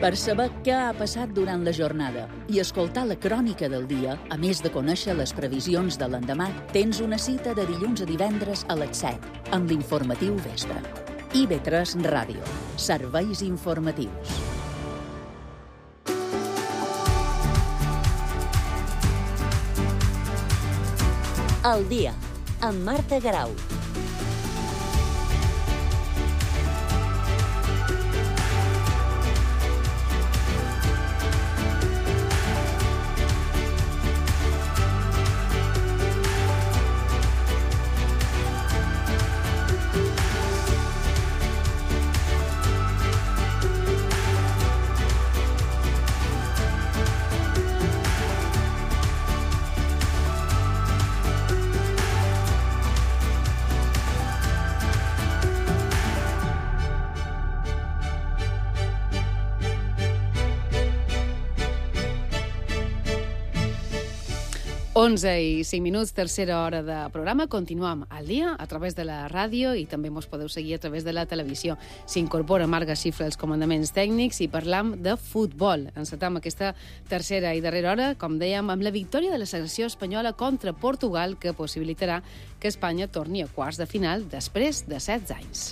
Per saber què ha passat durant la jornada i escoltar la crònica del dia, a més de conèixer les previsions de l'endemà, tens una cita de dilluns a divendres a les 7, amb l'informatiu vespre. IB3 Ràdio. Serveis informatius. El dia, amb Marta Garau. Onze i 5 minuts, tercera hora de programa. Continuem al dia a través de la ràdio i també mos podeu seguir a través de la televisió. S'incorpora Marga Xifra als comandaments tècnics i parlam de futbol. Encetam aquesta tercera i darrera hora, com dèiem, amb la victòria de la selecció espanyola contra Portugal, que possibilitarà que Espanya torni a quarts de final després de 16 anys.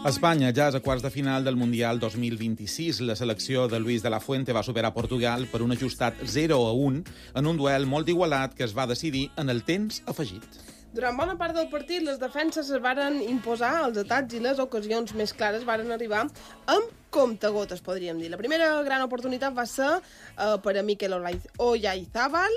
Espanya ja és a quarts de final del Mundial 2026. La selecció de Luis de la Fuente va superar Portugal per un ajustat 0-1 en un duel molt igualat que es va decidir en el temps afegit. Durant bona part del partit, les defenses es varen imposar, els atacs i les ocasions més clares varen arribar amb comptagotes, podríem dir. La primera gran oportunitat va ser per a Mikel Oyarzabal,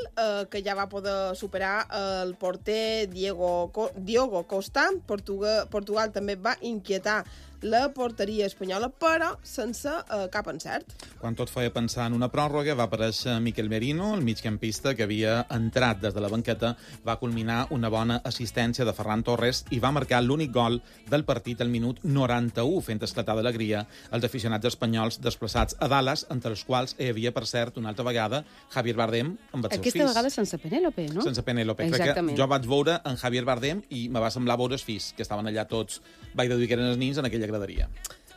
que ja va poder superar el porter Diogo Costa. Portugal també va inquietar la porteria espanyola, però sense cap encert. Quan tot feia pensar en una pròrroga, va aparèixer Mikel Merino, el migcampista que havia entrat des de la banqueta, va culminar una bona assistència de Ferran Torres i va marcar l'únic gol del partit al minut 91, fent esclatar d'alegria els aficionats espanyols desplaçats a Dallas, entre els quals hi havia, per cert, una altra vegada, Javier Bardem amb els seus fills. Aquesta vegada sense Penélope, no? Sense Penélope. Exactament. Jo vaig veure en Javier Bardem i me va semblar veure els fills, que estaven allà tots, vaig deduir que eren els nins en aquella graderia.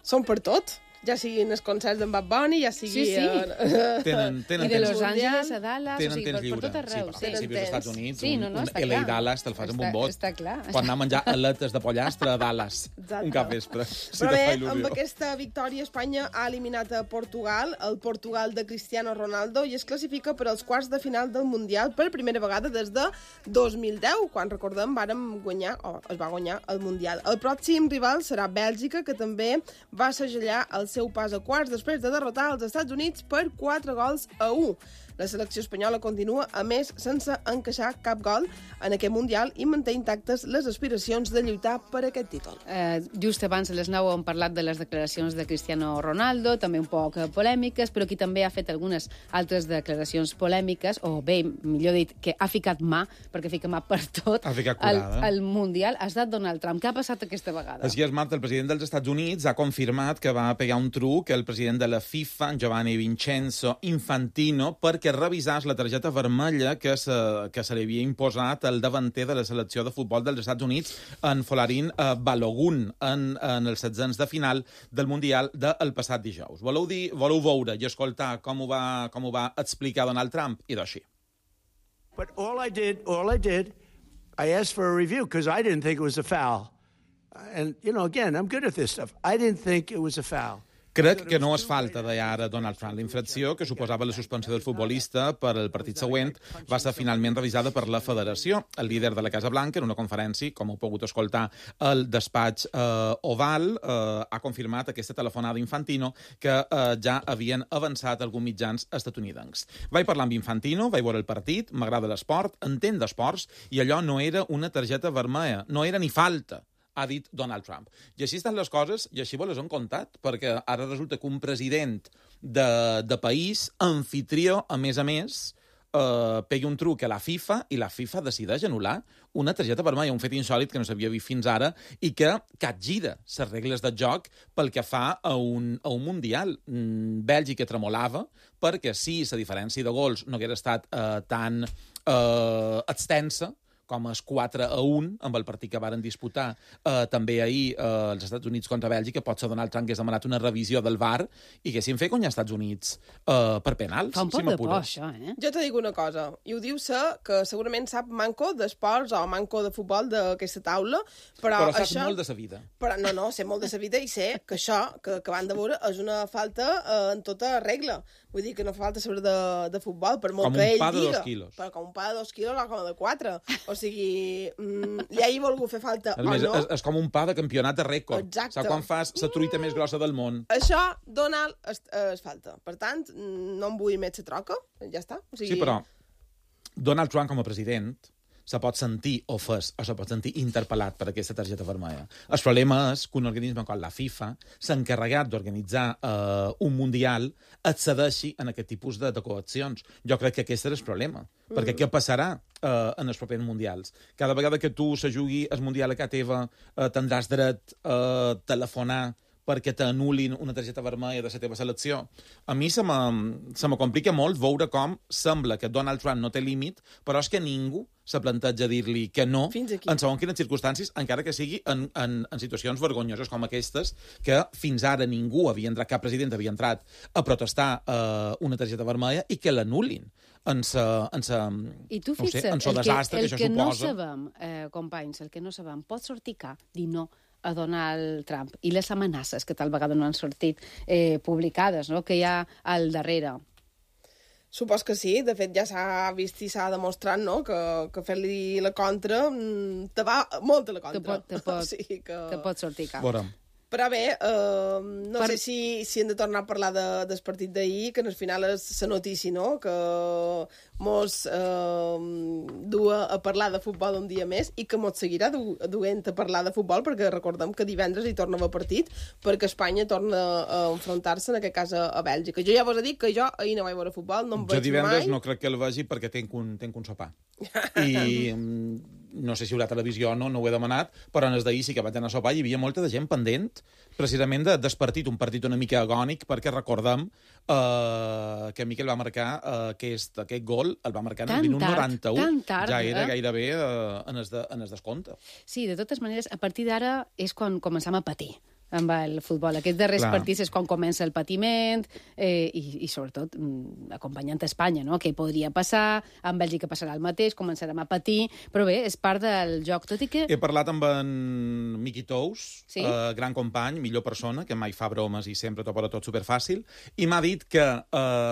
Són per tot, ja siguin els concerts d'en Bad Bunny, ja sigui... Sí. Tenen I de Los Angeles a Dallas, o sigui, per tot arreu. Sí, si vius als Estats Units, un LA i Dallas te'l fas amb un bot. Està clar. Pot anar a menjar aletes de pollastre a Dallas un cap vespre. Però bé, amb aquesta victòria Espanya ha eliminat a Portugal, el Portugal de Cristiano Ronaldo, i es classifica per als quarts de final del Mundial per primera vegada des de 2010, quan, recordem, es va guanyar el Mundial. El pròxim rival serà Bèlgica, que també va segellar el seu pas a quarts després de derrotar els Estats Units per 4-1. La selecció espanyola continua, a més, sense encaixar cap gol en aquest Mundial i manté intactes les aspiracions de lluitar per aquest títol. Just abans a les 9 hem parlat de les declaracions de Cristiano Ronaldo, també un poc polèmiques, però qui també ha fet algunes altres declaracions polèmiques, o bé, millor dit, que ha ficat mà, perquè fica mà per tot, al Mundial, ha estat Donald Trump. Què ha passat aquesta vegada? Així és, Marta, el president dels Estats Units ha confirmat que va pegar un truc el president de la FIFA, Giovanni Vincenzo Infantino, perquè revisàs la targeta vermella que se li havia imposat al davanter de la selecció de futbol dels Estats Units, en Folarin Balogun, en els 16 de final del Mundial del passat dijous. Voleu veure i escoltar com ho va explicar Donald Trump? I d'així. But all I did, I asked for a review because I didn't think it was a foul. And, again, I'm good at this stuff. I didn't think it was a foul. Crec que no és falta, deia ara Donald Trump. La infracció, que suposava la suspensió del futbolista per al partit següent, va ser finalment revisada per la federació. El líder de la Casa Blanca, en una conferència, com heu pogut escoltar al despatx Oval, ha confirmat aquesta telefonada Infantino que ja havien avançat alguns mitjans estatunidencs. Vaig parlar amb Infantino, vaig veure el partit, m'agrada l'esport, entenc d'esports, i allò no era una targeta vermella, no era ni falta, ha dit Donald Trump. I així estan les coses, i així les han contat, perquè ara resulta que un president de país, anfitrió, a més, pegui un truc a la FIFA i la FIFA decideix anul·lar una targeta vermella, un fet insòlit que no s'havia vist fins ara i que capgira les regles del joc pel que fa a un Mundial. Bèlgica tremolava perquè si la diferència de gols no hagués estat tan extensa com es 4-1, amb el partit que varen disputar també ahir els Estats Units contra Bèlgica, potser Donald Trump hagués demanat una revisió del VAR i haguessin fet guanyar als Estats Units per penals. Fa un poc de por, això, eh? Jo te dic una cosa, i ho diu que segurament sap manco d'esports o manco de futbol d'aquesta taula, però saps això... molt de sa vida. Però no, sé molt de sa vida i sé que això, que van de veure, és una falta en tota regla. Vull dir que no fa falta saber de futbol, per molt que ell diga. Com un pa de 2 quilos. Però com un pa de 2 quilos o com de 4. O sigui, li hagi volgut fer falta o no. És com un pa de campionat de rècord. Exacte. Saps quan fas la truita més grossa del món? Això, Donald, es falta. Per tant, no em vull més la troca, ja està. O sigui... Sí, però Donald Trump com a president se pot sentir ofès o se pot sentir interpel·lat per aquesta targeta vermella. El problema és que un organisme com la FIFA s'ha encarregat d'organitzar un Mundial accedeixi en aquest tipus de coaccions. Jo crec que aquest és el problema. Perquè què passarà en els propers Mundials? Cada vegada que tu se jugui el Mundial a casa teva tindràs dret a telefonar perquè t'anul·lin una targeta vermella de la teva selecció. A mi se me complica molt veure com sembla que Donald Trump no té límit, però és que ningú se planteja dir-li que no en segons quines circumstàncies, encara que sigui en situacions vergonyoses com aquestes, que fins ara ningú havia entrat, cap president havia entrat a protestar una targeta vermella i que l'anul·lin en I tu fixa't, el desastre que això suposa. No sabem, companys, el que no sabem, pot sortir dir no a Donald Trump i les amenaces que tal vegada no han sortit publicades, no? Que hi ha al darrere. Supos que sí, de fet ja s'ha vist i s'ha demostrat, no?, que fer-li la contra te va molt a la contra. Te pot sortir cap. Veurem. Però bé, no sé si hem de tornar a parlar del partit d'ahir, que al final és la notícia, no?, que mos du a parlar de futbol un dia més i que mos seguirà duent a parlar de futbol, perquè recordem que divendres hi torna a haver partit, perquè Espanya torna a enfrontar-se, en aquest cas, a Bèlgica. Jo ja vos he dit que jo ahir no vaig veure futbol, no em veig mai. Jo divendres no crec que el vegi perquè tenc un sopar. I no sé si hi haurà televisió o no ho he demanat, però en els d'ahir sí que vaig anar a sopar i hi havia molta de gent pendent precisament del partit, un partit una mica agònic, perquè recordem que Miquel va marcar aquest gol, el va marcar en el minut 91. Tan tard, ja era gairebé en el descompte. Sí, de totes maneres, a partir d'ara és quan començam a patir amb el futbol. Aquests darrers partits és quan comença el patiment i sobretot, acompanyant Espanya, no?, què podria passar, amb Bèlgica passarà el mateix, començarem a patir, però bé, és part del joc, tot i que... He parlat amb en Miqui Tous, sí? Gran company, millor persona, que mai fa bromes i sempre t'ho posa tot superfàcil, i m'ha dit que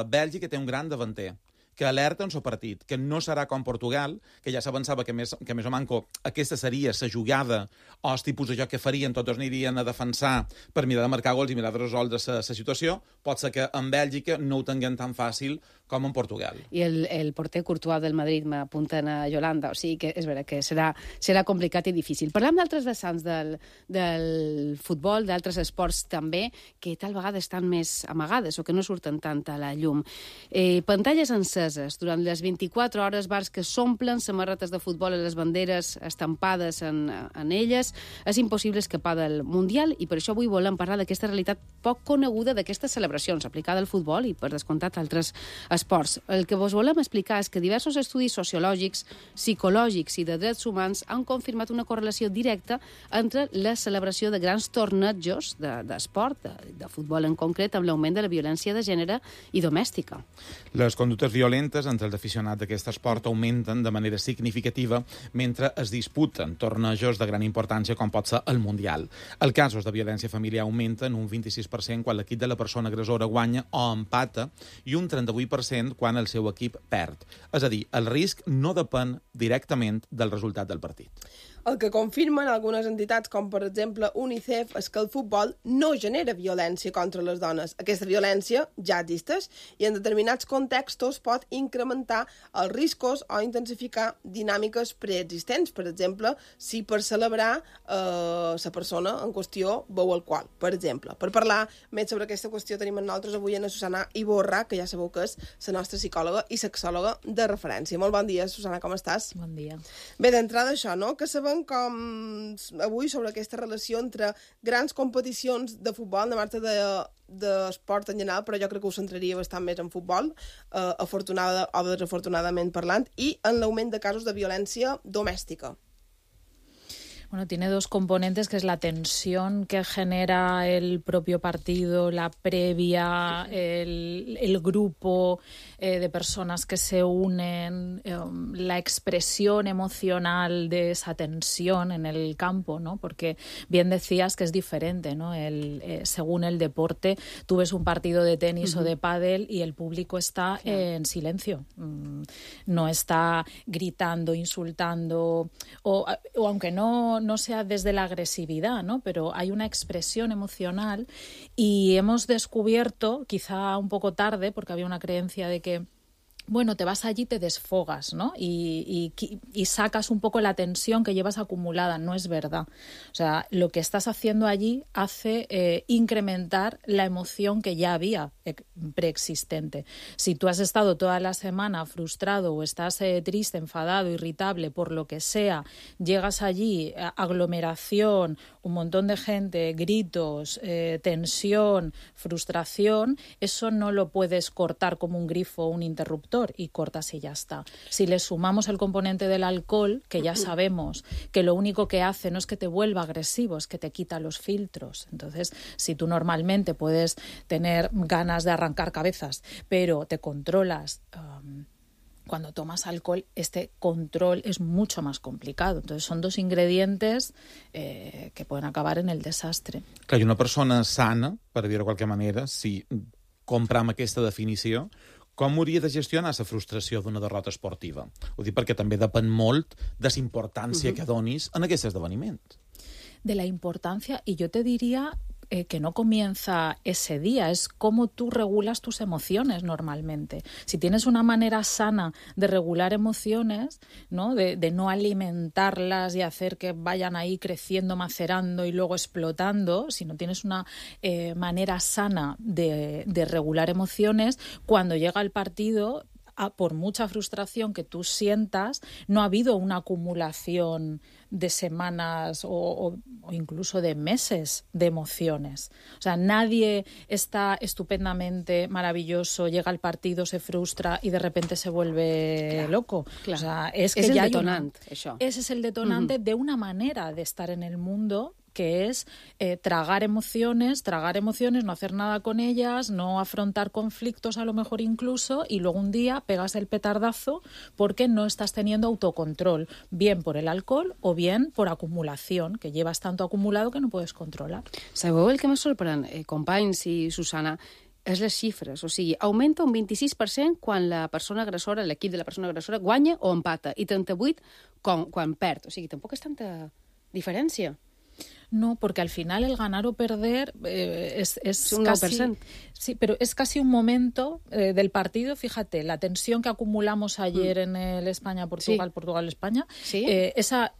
Bèlgica té un gran davanter, que alerta en el partit, que no serà com Portugal, que ja s'avançava que més o manco aquesta seria la jugada o el tipus de joc que farien, tots anirien a defensar per mirar de marcar gols i mirar de resoldre la situació, pot ser que en Bèlgica no ho tinguem tan fàcil com en Portugal. I el porter Courtois del Madrid m'apunten a Yolanda, o sigui que és vera que serà complicat i difícil. Parlem d'altres vessants del futbol, d'altres esports també, que tal vegada estan més amagades o que no surten tant a la llum. Pantalles enceses durant les 24 hores, bars que s'omplen, samarretes de futbol a les banderes estampades en elles. És impossible escapar del Mundial i per això avui volem parlar d'aquesta realitat poc coneguda d'aquestes celebracions aplicada al futbol i, per descomptat, altres esports. El que vos volem explicar és que diversos estudis sociològics, psicològics i de drets humans han confirmat una correlació directa entre la celebració de grans tornejos d'esport, de futbol en concret, amb l'augment de la violència de gènere i domèstica. Les conductes violentes entre els aficionats d'aquest esport augmenten de manera significativa mentre es disputen tornejos de gran importància com pot ser el Mundial. Els casos de violència familiar augmenten un 26% quan l'equip de la persona agressora guanya o empata i un 38% quan el seu equip perd. És a dir, el risc no depèn directament del resultat del partit. El que confirmen algunes entitats, com per exemple UNICEF, és que el futbol no genera violència contra les dones. Aquesta violència ja existeix i en determinats contextos pot incrementar els riscos o intensificar dinàmiques preexistents. Per exemple, si per celebrar la persona en qüestió beu alcohol, per exemple. Per parlar més sobre aquesta qüestió tenim amb nosaltres avui a Susana Iborra, que ja sabeu que és la nostra psicòloga i sexòloga de referència. Molt bon dia, Susana, com estàs? Bon dia. Bé, d'entrada això, no? Que sabem com avui sobre aquesta relació entre grans competicions de futbol, de marxa d'esport en general, però jo crec que ho centraria bastant més en futbol, afortunada o desafortunadament parlant, i en l'augment de casos de violència domèstica. Bueno, tiene dos componentes, que es la tensión que genera el propio partido, la previa, el grupo de personas que se unen, la expresión emocional de esa tensión en el campo, ¿no? Porque bien decías que es diferente, ¿no? Según el deporte, tú ves un partido de tenis o de pádel y el público está en silencio. No está gritando, insultando, o aunque no sea desde la agresividad, ¿no? Pero hay una expresión emocional y hemos descubierto, quizá un poco tarde, porque había una creencia de que bueno, te vas allí, te desfogas, ¿no? Y sacas un poco la tensión que llevas acumulada. No es verdad. O sea, lo que estás haciendo allí hace incrementar la emoción que ya había preexistente. Si tú has estado toda la semana frustrado o estás triste, enfadado, irritable, por lo que sea, llegas allí, aglomeración, un montón de gente, gritos, tensión, frustración, eso no lo puedes cortar como un grifo o un interruptor y cortas y ya está. Si le sumamos el componente del alcohol, que ya sabemos que lo único que hace no es que te vuelva agresivo, es que te quita los filtros. Entonces, si tú normalmente puedes tener ganas de arrancar cabezas, pero te controlas, cuando tomas alcohol, este control es mucho más complicado. Entonces, son dos ingredientes que pueden acabar en el desastre. Clar, i una persona sana, per dir-ho de qualque manera, si compram aquesta definició, com hauria de gestionar la frustració d'una derrota esportiva? Ho dic perquè també depèn molt de la importància que donis en aquest esdeveniment. De la importancia, y yo te diría que no comienza ese día, es cómo tú regulas tus emociones normalmente. Si tienes una manera sana de regular emociones, ¿no? De no alimentarlas y hacer que vayan ahí creciendo, macerando y luego explotando, si no tienes una manera sana de regular emociones, cuando llega el partido, por mucha frustración que tú sientas, no ha habido una acumulación de semanas o incluso de meses de emociones. O sea, nadie está estupendamente maravilloso, llega al partido, se frustra y de repente se vuelve loco. Clar. O sea, es que el ya detonant, això. Ese es el detonante de una manera de estar en el mundo, que es tragar emociones, no hacer nada con ellas, no afrontar conflictos a lo mejor incluso, y luego un día pegas el petardazo porque no estás teniendo autocontrol, bien por el alcohol o bien por acumulación, que llevas tanto acumulado que no puedes controlar. Sabeu el que me sorprèn, companys i Susana? És les xifres, o sigui, augmenta un 26% quan la persona agressora, l'equip de la persona agressora, guanya o empata, i 38% quan perd. O sigui, tampoc és tanta diferència. No, porque al final el ganar o perder es un casi... 9%. Sí, pero es casi un momento del partido. Fíjate, la tensión que acumulamos ayer en el España-Portugal, Portugal-España, ¿Sí? Esa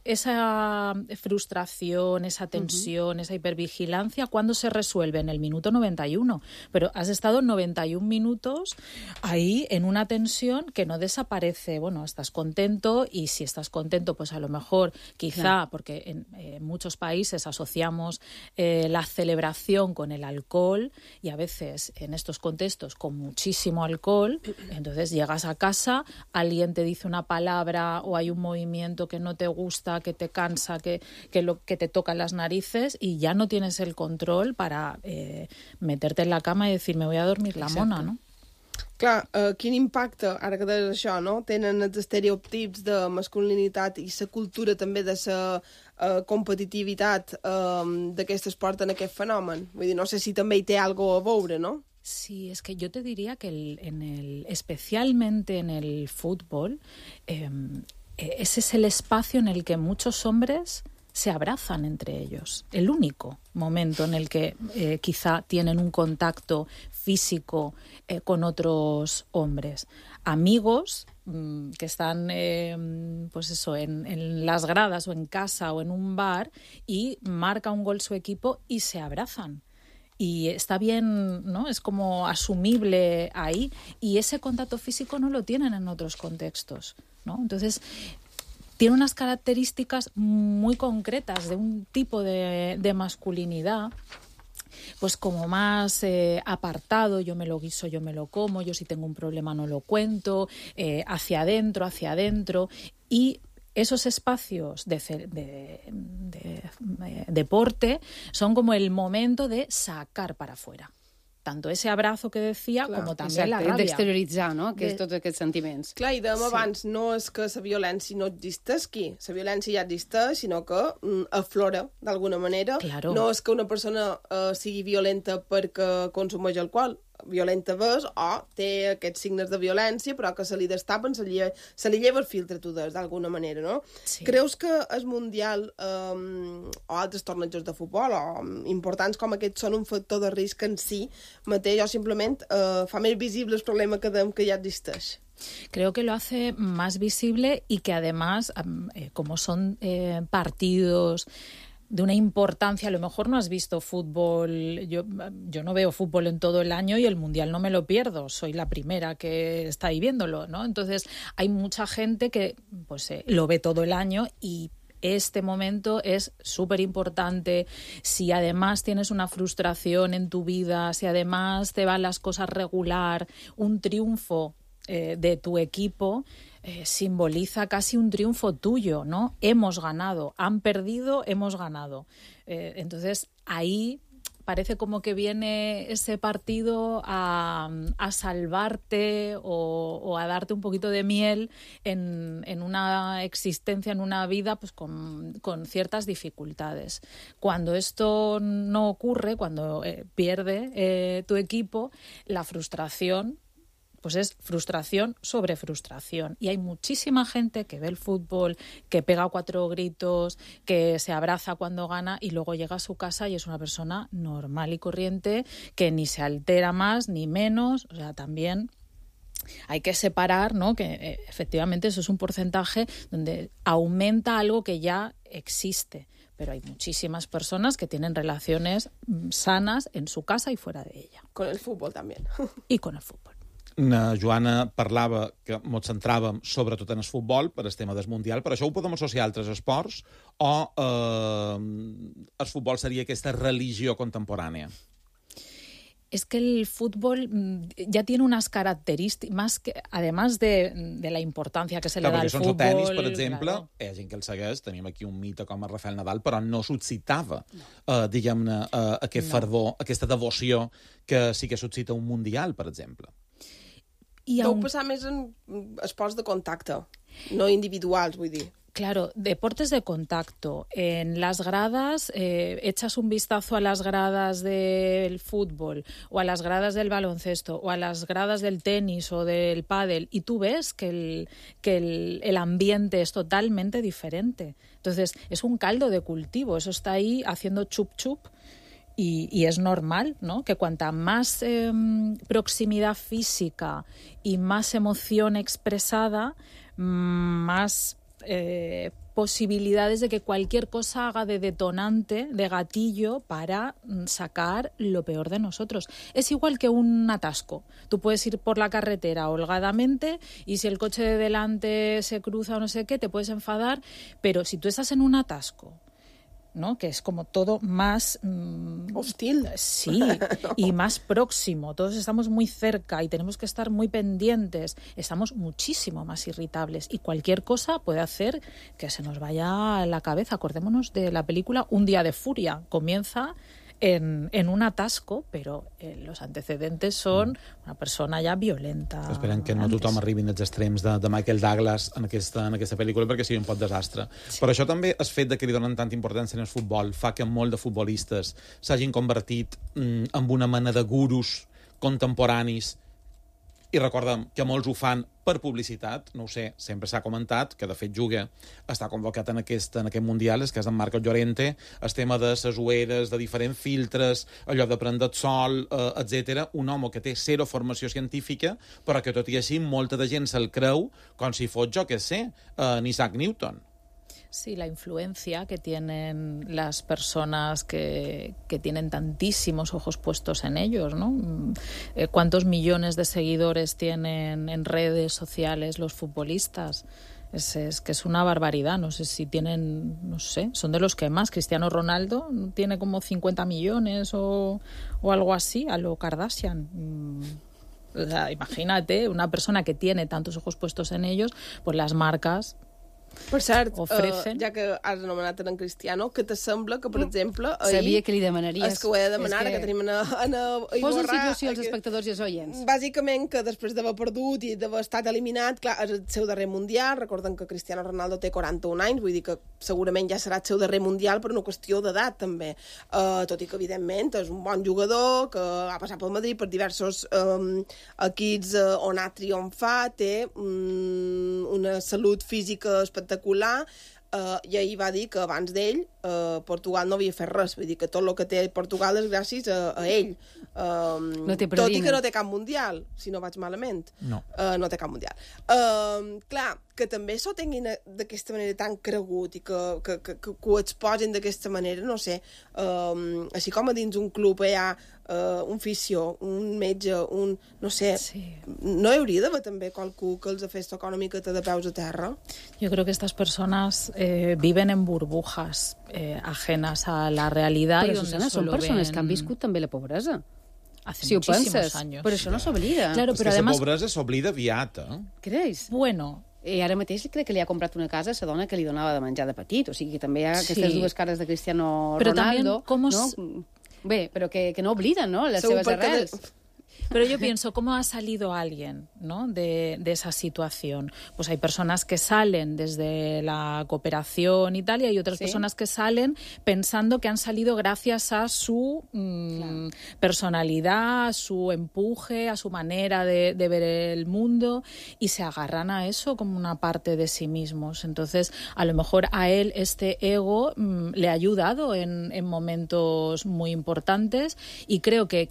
frustración, esa tensión, esa hipervigilancia, ¿cuándo se resuelve? En el minuto 91. Pero has estado 91 minutos ahí en una tensión que no desaparece. Bueno, estás contento, y si estás contento, pues a lo mejor, quizá, porque en muchos países asociamos la celebración con el alcohol, y a veces en estos contextos con muchísimo alcohol, entonces llegas a casa, alguien te dice una palabra o hay un movimiento que no te gusta, que te cansa, que te toca las narices, y ya no tienes el control para meterte en la cama y decir me voy a dormir la mona, ¿no? Clar, quin impacte, ara que deies això, no? Tenen els estereotips de masculinitat i la cultura també de la competitivitat d'aquest esport en aquest fenomen. Vull dir, no sé si també hi té algo a veure, no? Sí, es que yo te diría que especialmente en el fútbol, ese es el espacio en el que muchos hombres se abrazan entre ellos. El único momento en el que quizá tienen un contacto físico con otros hombres. Amigos que están pues eso, en las gradas o en casa o en un bar y marca un gol su equipo y se abrazan. Y está bien, ¿no? Es como asumible ahí. Y ese contacto físico no lo tienen en otros contextos, ¿no? Entonces, tiene unas características muy concretas de un tipo de masculinidad, pues como más apartado, yo me lo guiso, yo me lo como, yo si tengo un problema no lo cuento, hacia adentro. Y esos espacios de deporte son como el momento de sacar para afuera. Tanto ese abrazo que decía, clar, com també la ràbia. D'exterioritzar, no? Tots aquests sentiments. Clar, i dèiem abans, no és que la violència no existeixi, la violència ja existeix, sinó que aflora d'alguna manera. Claro. No és que una persona sigui violenta perquè consumeix alcohol, violenta és o té aquests signes de violència, però que se li destapen, se li lleva el filtre, tu des, d'alguna manera, no? Sí. Creus que el Mundial o altres tornejos de futbol o importants com aquests són un factor de risc en si mateix o simplement fa més visible el problema que ja existeix? Creo que lo hace más visible y que además, como son partidos de una importancia, a lo mejor no has visto fútbol, yo no veo fútbol en todo el año y el Mundial no me lo pierdo, soy la primera que está ahí viéndolo, ¿no? Entonces hay mucha gente que pues lo ve todo el año y este momento es súper importante. Si además tienes una frustración en tu vida, si además te van las cosas regular, un triunfo de tu equipo simboliza casi un triunfo tuyo, ¿no? Hemos ganado, han perdido, hemos ganado. Entonces ahí parece como que viene ese partido a salvarte o a darte un poquito de miel en una existencia, en una vida pues con ciertas dificultades. Cuando esto no ocurre, cuando pierde tu equipo, la frustración pues es frustración sobre frustración. Y hay muchísima gente que ve el fútbol, que pega 4 gritos, que se abraza cuando gana y luego llega a su casa y es una persona normal y corriente que ni se altera más ni menos. O sea, también hay que separar, ¿no? Que efectivamente eso es un porcentaje donde aumenta algo que ya existe. Pero hay muchísimas personas que tienen relaciones sanas en su casa y fuera de ella. Con el fútbol también. Y con el fútbol. Joana parlava que ens centràvem sobretot en el futbol per el tema del Mundial, però això ho podem associar a altres esports o el futbol seria aquesta religió contemporània? Es que el fútbol ya tiene unas características, más que, además de la importancia que se le da al fútbol... Perquè el tenis, per exemple, hi ha gent que el segueix, tenim aquí un mite com a Rafael Nadal, però no suscitava, diguem-ne, aquest fervor, aquesta devoció que sí que suscita un Mundial, per exemple. Deu passar més en esports de contacte, no individuals, vull dir. Claro, deportes de contacto. En las gradas, echas un vistazo a las gradas del fútbol o a las gradas del baloncesto o a las gradas del tenis o del pádel y tú ves que el ambiente es totalmente diferente. Entonces, es un caldo de cultivo, eso está ahí haciendo chup chup. Y es normal, ¿no? Que cuanta más proximidad física y más emoción expresada, más posibilidades de que cualquier cosa haga de detonante, de gatillo, para sacar lo peor de nosotros. Es igual que un atasco. Tú puedes ir por la carretera holgadamente y si el coche de delante se cruza o no sé qué, te puedes enfadar, pero si tú estás en un atasco, ¿no? Que es como todo más hostil. Sí, y más próximo. Todos estamos muy cerca y tenemos que estar muy pendientes. Estamos muchísimo más irritables y cualquier cosa puede hacer que se nos vaya a la cabeza. Acordémonos de la película Un día de furia. Comienza en un atasco, pero los antecedentes son una persona ja violenta. Esperem que no tothom arribi als extrems de Michael Douglas en aquesta pel·lícula perquè sigui un pot desastre. Sí. Però això també, el fet de que li donen tanta importància en el futbol, fa que molt de futbolistes s'hagin convertit en una mena de gurus contemporanis I recordem que molts ho fan per publicitat, no ho sé, sempre s'ha comentat, que de fet juga, està convocat en aquest Mundial, és que és en Marcos Llorente, el tema de les ulleres, de diferents filtres, allò de prendre el sol, etc. Un home que té zero formació científica, però que tot i així molta de gent se'l creu com si fos, jo què sé, Isaac Newton. Sí, la influencia que tienen las personas que tienen tantísimos ojos puestos en ellos, ¿no? ¿Cuántos millones de seguidores tienen en redes sociales los futbolistas? Es que es una barbaridad. No sé si tienen, no sé, son de los que más. Cristiano Ronaldo tiene como 50 millones o algo así, a lo Kardashian. O sea, imagínate, una persona que tiene tantos ojos puestos en ellos, pues las marcas... Per cert, ofrecen... ja que has anomenat en Cristiano, que t'assembla que, per exemple... Sabia que li demanaries. És que ho he de demanar, que tenim en Iborra... Posa en situació els espectadors i els oients. Bàsicament, que després d'haver perdut i d'haver estat eliminat, clar, és el seu darrer Mundial, recordem que Cristiano Ronaldo té 41 anys, vull dir que segurament ja serà el seu darrer Mundial per una qüestió d'edat, també. Tot i que, evidentment, és un bon jugador, que ha passat pel Madrid per diversos equips on ha triomfat, té una salut física espectacular, i ahir va dir que abans d'ell Portugal no havia fet res, vull dir que tot el que té Portugal és gràcies a ell. No té tot i que no té cap mundial, si no vaig malament. No. No té cap mundial. Clar, que també s'ho tinguin d'aquesta manera tan cregut i que ho exposin d'aquesta manera, no sé, així com a dins un club hi ha un fisio, un metge, no sé, sí. No hi hauria d'haver també qualcú que els fes tocar una miqueta de peus a terra? Yo creo que estas personas viven en burbujas ajenas a la realidad. Però, y Susana, són persones que han viscut també la pobresa. Hace si ho muchísimos penses, años. però això no s'oblida. Claro, és pero que además... la pobresa s'oblida aviat, Creus? Bueno... I ara mateix crec que li ha comprat una casa a la dona que li donava de menjar de petit, o sigui que també hi ha aquestes dues cares de Cristiano Ronaldo. No? Bé, però que no obliden, no?, les seves arrels. Pero yo pienso, ¿cómo ha salido alguien, ¿no?, de esa situación? Pues hay personas que salen desde la cooperación y tal, y hay otras personas que salen pensando que han salido gracias a su personalidad, a su empuje, a su manera de ver el mundo, y se agarran a eso como una parte de sí mismos. Entonces, a lo mejor a él este ego le ha ayudado en momentos muy importantes, y creo que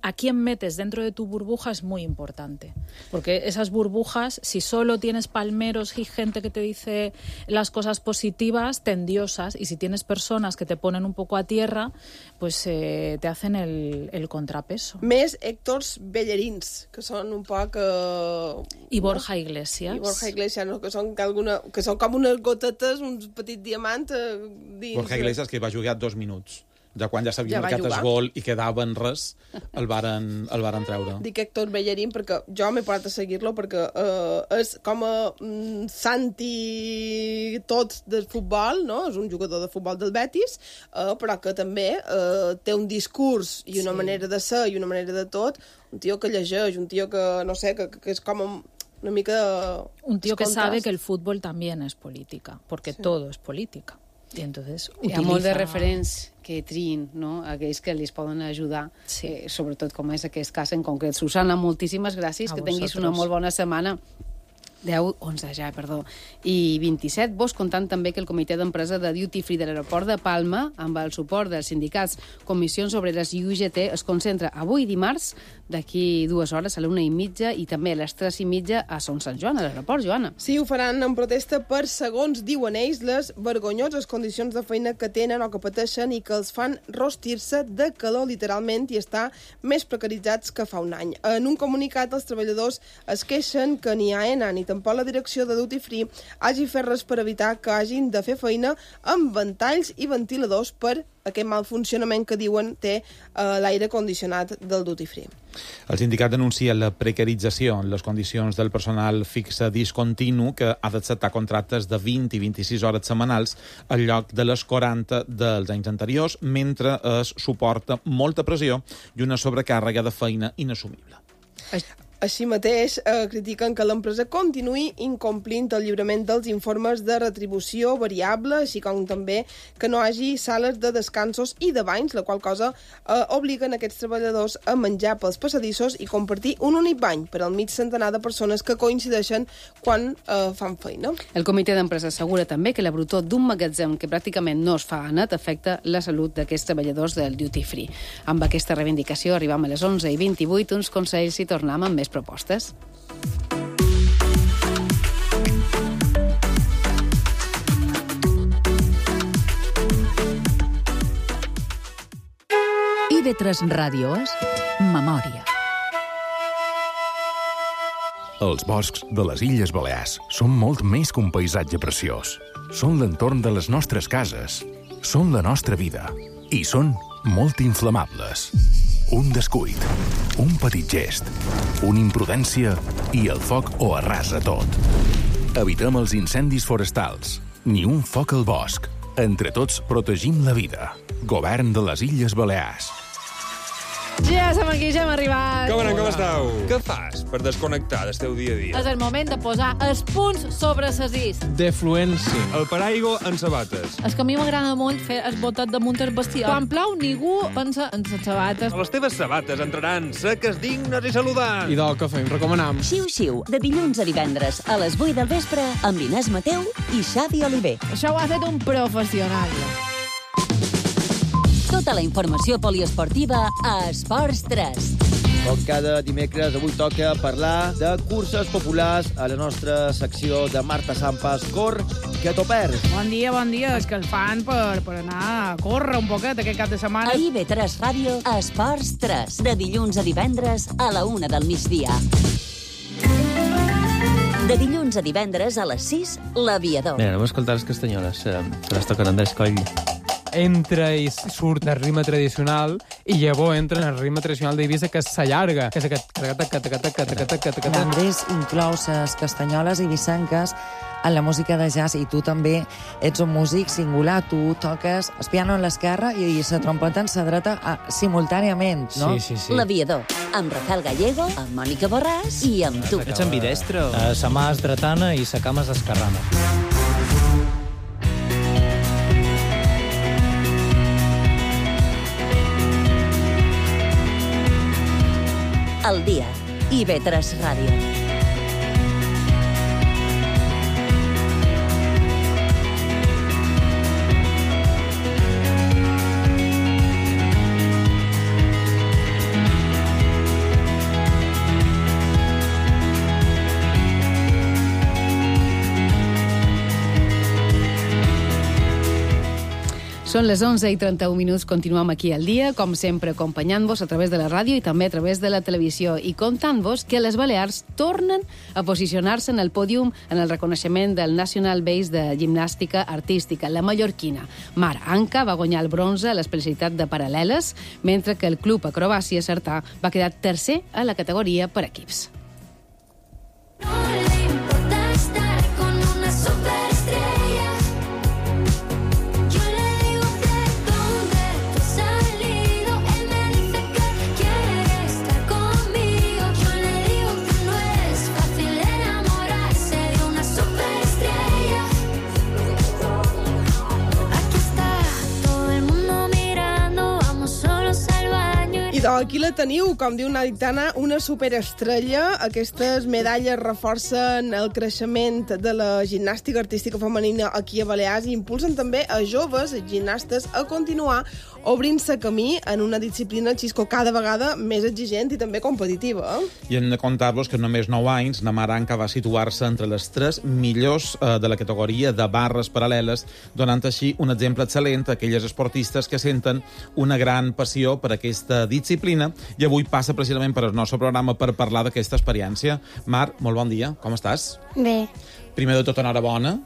a quién metes dentro de tu burbuja es muy importante, porque esas burbujas, si solo tienes palmeros y gente que te dice las cosas positivas, te endiosas, y si tienes personas que te ponen un poco a tierra, pues te hacen el contrapeso. Més Héctors Bellerins, que són un poc... I Borja Iglesias. I Borja Iglesias, no? que són com unes gotetes, uns petits diamants dins... Borja Iglesias, que va jugar 2 minuts. Ja quan ja s'havia marcat el gol i quedava en res, el varen treure. Dic Héctor Bellerín perquè jo m'he parat a seguir-lo perquè és com a Santi tot del futbol, no? És un jugador de futbol del Betis, però que també té un discurs i una manera de ser i una manera de tot, un tio que llegeix, un tio que, no sé, que és com una mica... Un tio que sabe que el fútbol también es política, porque todo es política. I entonces hi ha molt de referents que triïn, no?, aquells que li poden ajudar, sobretot com és aquest cas en concret. Susana, moltíssimes gràcies, que tinguis una molt bona setmana. 10, 11 ja, perdó, i 27. Vos contant també que el comitè d'empresa de Duty Free de l'aeroport de Palma, amb el suport dels sindicats Comissions Obreres i UGT, es concentra avui dimarts, d'aquí 2 hores, a la 1:30, i també a les 3:30 a Son Sant Joan, a l'aeroport, Joana. Sí, ho faran en protesta per, segons diuen ells, les vergonyoses condicions de feina que tenen o que pateixen i que els fan rostir-se de calor, literalment, i estar més precaritzats que fa un any. En un comunicat, els treballadors es queixen que ni AENA ni tampoc la direcció de Duty Free hagi fet res per evitar que hagin de fer feina amb ventalls i ventiladors per aquest mal funcionament que diuen té l'aire condicionat del Duty Free. El sindicat denuncia la precarització en les condicions del personal fixe discontinu que ha d'acceptar contractes de 20 i 26 hores setmanals al lloc de les 40 dels anys anteriors, mentre es suporta molta pressió i una sobrecàrrega de feina inassumible. Així mateix, critiquen que l'empresa continuï incomplint el lliurament dels informes de retribució variable, així com també que no hi hagi sales de descansos i de banys, la qual cosa obliguen aquests treballadors a menjar pels passadissos i compartir un únic bany per al mig centenar de persones que coincideixen quan fan feina. El comitè d'empresa assegura també que la brutor d'un magatzem que pràcticament no es fa net afecta la salut d'aquests treballadors del duty free. Amb aquesta reivindicació arribam a les 11:28, uns consells i tornem amb més propostes. IB3 Ràdio és Memòria. Els boscs de les Illes Balears són molt més que un paisatge preciós. Són l'entorn de les nostres cases, són la nostra vida i són molt inflamables. Un descuit, un petit gest, una imprudència i el foc ho arrasa tot. Evitem els incendis forestals, ni un foc al bosc. Entre tots protegim la vida. Govern de les Illes Balears. Ja som aquí, ja hem arribat. Com esteu? Què fas per desconnectar del teu dia a dia? És el moment de posar els punts sobre les is. Defluència. El paraigua en sabates. És que a mi m'agrada molt fer el botet damunt el bestiar. Quan plou, ningú pensa en les sabates. Les teves sabates entraran seques, dignes i saludants. I del que fem, recomanam. Xiu-xiu, de dilluns a divendres a les 8 del vespre amb Inés Mateu i Xavi Oliver. Això ho ha fet un professional. Tota la informació poliesportiva a Esports 3. Com cada dimecres, avui toca parlar de curses populars a la nostra secció de Marta Sampas, Cor, que t'ho perds. Bon dia. És que el fan per anar a córrer un poquet aquest cap de setmana. A IB3 Ràdio, Esports 3, de dilluns a divendres a la 1 del migdia. De dilluns a divendres a les 6, l'Aviador. Mira, anem a escoltar les castanyoles, que les toquen Andrés Coll. Entra i surt el ritme tradicional i llavors entra en el ritme tradicional d'Eivissa, que s'allarga. Que és aquest... Andrés inclou les castanyoles eivissenques en la música de jazz i tu també ets un músic singular. Tu toques el piano en l'esquerra i la trompeta en la dreta simultàniament, no? Sí. L'Aviador, amb Rafael Gallego, amb Mònica Borràs i amb tu. Ets ambidestre? Sa mà és dretana i sa cama és esquerrana. El dia, IB3 Ràdio. Són les 11:31, continuem aquí al dia, com sempre acompanyant-vos a través de la ràdio i també a través de la televisió i contant-vos que les Balears tornen a posicionar-se en el pòdium en el reconeixement del National Base de Gimnàstica Artística. La mallorquina Mar Anca va guanyar el bronze a l'especialitat de paral·leles, mentre que el Club Acrobàcia Sartà va quedar tercer a la categoria per equips. Aquí la teniu, com diu Nadia Tana, una superestrella. Aquestes medalles reforcen el creixement de la gimnàstica artística femenina aquí a Balears i impulsen també a joves gimnastes a continuar obrint-se camí en una disciplina, Xisco, cada vegada més exigent i també competitiva. I hem de contar-vos que en només 9 anys la Mar Anca va situar-se entre les 3 millors de la categoria de barres paral·leles, donant així un exemple excel·lent a aquelles esportistes que senten una gran passió per aquesta disciplina i avui passa precisament per el nostre programa per parlar d'aquesta experiència. Mar, molt bon dia, com estàs? Bé. Primer de tot, enhorabona.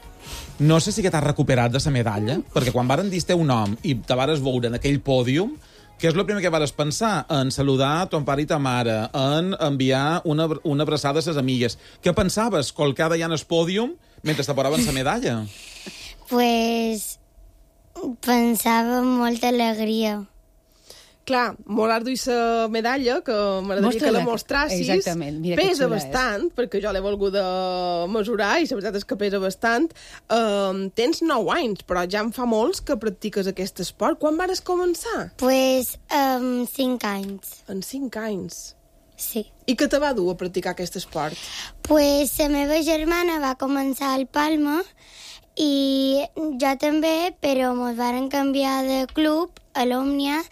No sé si que t'has recuperat de la medalla, perquè quan varen dir un nom i te vares veure en aquell pòdium, què és el primer que vares pensar? En saludar ton pare i ta mare, en enviar una abraçada a ses amigues. Què pensaves colcada ja en el pòdium mentre te posaven la medalla? Pues pensava amb molta alegria. clar, Morar duia la medalla, que m'agradaria que la mostrassis. Exactament. Mira que pesa xula bastant, perquè jo l'he volgut mesurar, i la veritat és que pesa bastant. Tens 9 anys, però ja en fa molts que practiques aquest esport. Quan vas començar? Pues 5 anys. En 5 anys? Sí. I què te va dur a practicar aquest esport? Pues la meva germana va començar al Palma i jo també, però ens varen canviar de club a l'Òmnia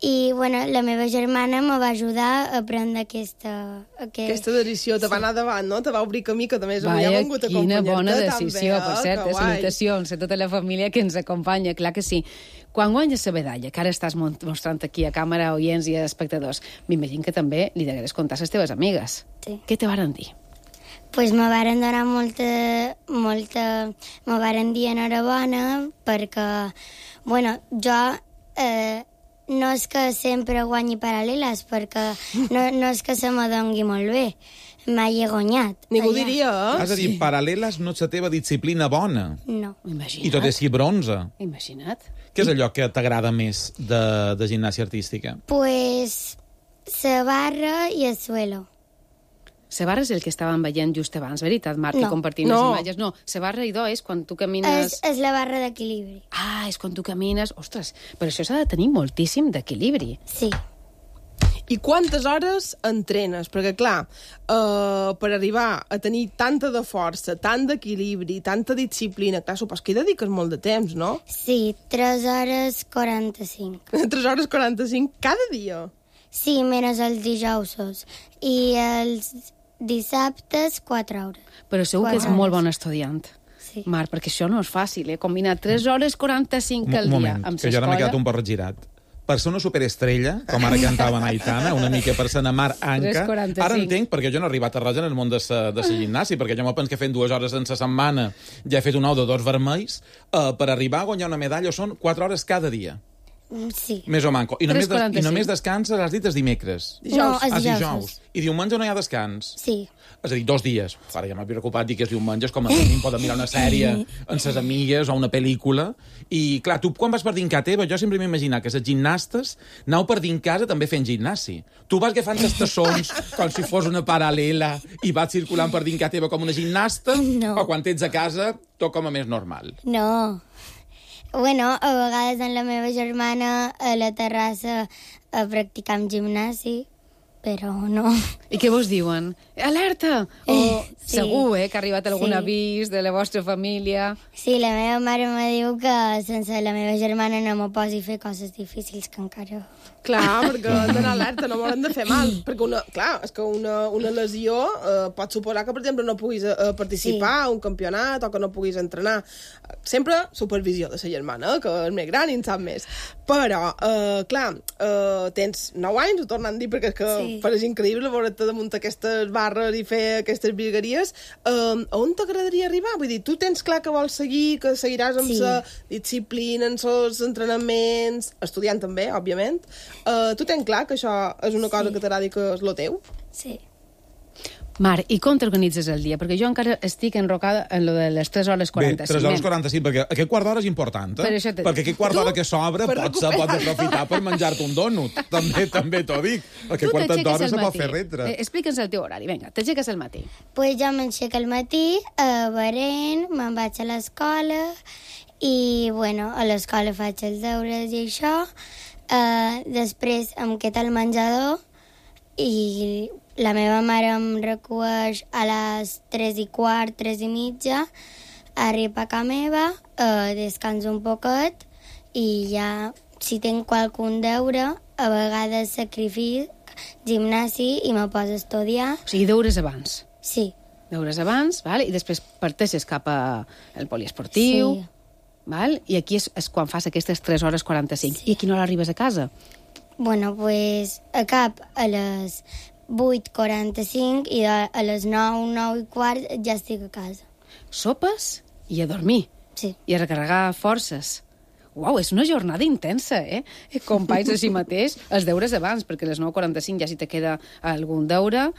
i bueno, la meva germana me va ajudar a aprendre aquesta decisió. Te va anar davant, no? Te va obrir camí, que també m'hi ha vengut a acompanyar-te. Quina bona decisió, també, per cert. Salutacions a tota la família que ens acompanya, clar que sí. Quan guanyes la medalla, que ara estàs mostrant aquí a càmera, oients i espectadors, m'imagino que també li degués contar a les teves amigues. Sí. Què te varen dir? Pues me varen donar molta... Me varen dir enhorabona perquè, bueno, jo no és que sempre guanyi paral·leles, perquè no és que se me dongui molt bé. Mai he guanyat. Ningú diria, eh? És a dir, paral·leles no és la teva disciplina bona. No. Imagina't. I tot és si bronze. Imagina't. Què és allò que t'agrada més de gimnàsia artística? Pues la barra i el suelo. La barra és el que estàvem veient just abans, veritat, Marc? No. Que compartim les imatges. No, la barra, idò, és quan tu camines... És la barra d'equilibri. Ah, és quan tu camines... Ostres, però això s'ha de tenir moltíssim d'equilibri. Sí. I quantes hores entrenes? Perquè, clar, per arribar a tenir tanta de força, tant d'equilibri, tanta disciplina, clar, supos que hi dediques molt de temps, no? Sí, 3 hores 45. 3 hores 45 cada dia? Sí, menys els dijous. I els dissabtes 4 hores. Però segur que ets molt bon estudiant. Sí. Marc, perquè això no és fàcil, Combinar 3 hores 45 al dia moment, amb que jo ara m'he quedat un poc regirat. Per ser una superestrella, com ara cantava Aitana, una mica per ser Mar Anca, 3:45. ara entenc, perquè jo no he arribat a res en el món de la gimnàsia, perquè jo m'ho penso que fent 2 hores en la setmana ja he fet un ou de 2 vermells, per arribar a guanyar una medalla són 4 hores cada dia. Sí. Més o manco. I només descanses, has dit, els dimecres. No, els dijous. I diumenge no hi ha descans? Sí. És a dir, 2 dies. Ara ja m'he preocupat dir que és diumenges, com a mínim poden mirar una sèrie amb ses amigues o una pel·lícula. I, clar, tu quan vas per dins casa teva, jo sempre m'imaginar que les gimnastes anau per dins casa també fent gimnasi. Tu vas agafant les tassons com si fos una paral·lela i vas circulant per dins casa teva com una gimnasta? No. O quan ets a casa, tot com a més normal? No. Bueno, a vegades amb la meva germana a la terrassa practicam gimnàs, però no. I què vos diuen? Alerta! O sí. Segur, que ha arribat algun avís de la vostra família. Sí, la meva mare me diu que sense la meva germana no me posi a fer coses difícils que encara... Clar, perquè han d'anar alerta, no m'hauran de fer mal. Perquè, és que una lesió pot suposar que, per exemple, no puguis participar a un campionat o que no puguis entrenar. Sempre supervisió de la germana, que és més gran i en sap més. Però, clar, tens 9 anys, ho tornen a dir, perquè és que és increïble veure't damunt aquestes barres i fer aquestes virgueries. On t'agradaria arribar? Vull dir, tu tens clar que vols seguir, que seguiràs amb la disciplina, amb els entrenaments, estudiant també, òbviament. Tu tens clar que això és una cosa que t'agradi, que és lo teu? Sí. Marc, i com t'organitzes el dia? Perquè jo encara estic enrocada en lo de les 3 hores 45. Bé, 3 hores 45, perquè aquest quart d'hora és important, perquè aquest quart d'hora que s'obre pots aprofitar per menjar-te un dònut. També t'ho dic. Aquest quart d'hora se pot fer retre. Explica'ns el teu horari, vinga, t'aixeques al matí. Pues jo m'aixeco al matí, berent, me'n vaig a l'escola i, bueno, a l'escola faig els deures i això. Després em quedo al menjador i la meva mare em recueix a les 3:15, 3:30, arriba a casa meva, descanso un poquet i ja, si tinc qualcun deure, a vegades sacrific gimnàs i me poso a estudiar. O sigui, deures abans. Sí. Deures abans, val? I després parteixes cap al poliesportiu. Sí. Val? I aquí és quan fas aquestes 3 hores 45. Sí. I a quina hora arribes a casa? Bueno, pues acab a les 8:45 i a les 9, 9:15 ja estic a casa. Sopes i a dormir. Sí. I a recarregar forces. Uau, és una jornada intensa, Companys així mateix, els deures abans, perquè a les 9:45 ja si te queda algun deure,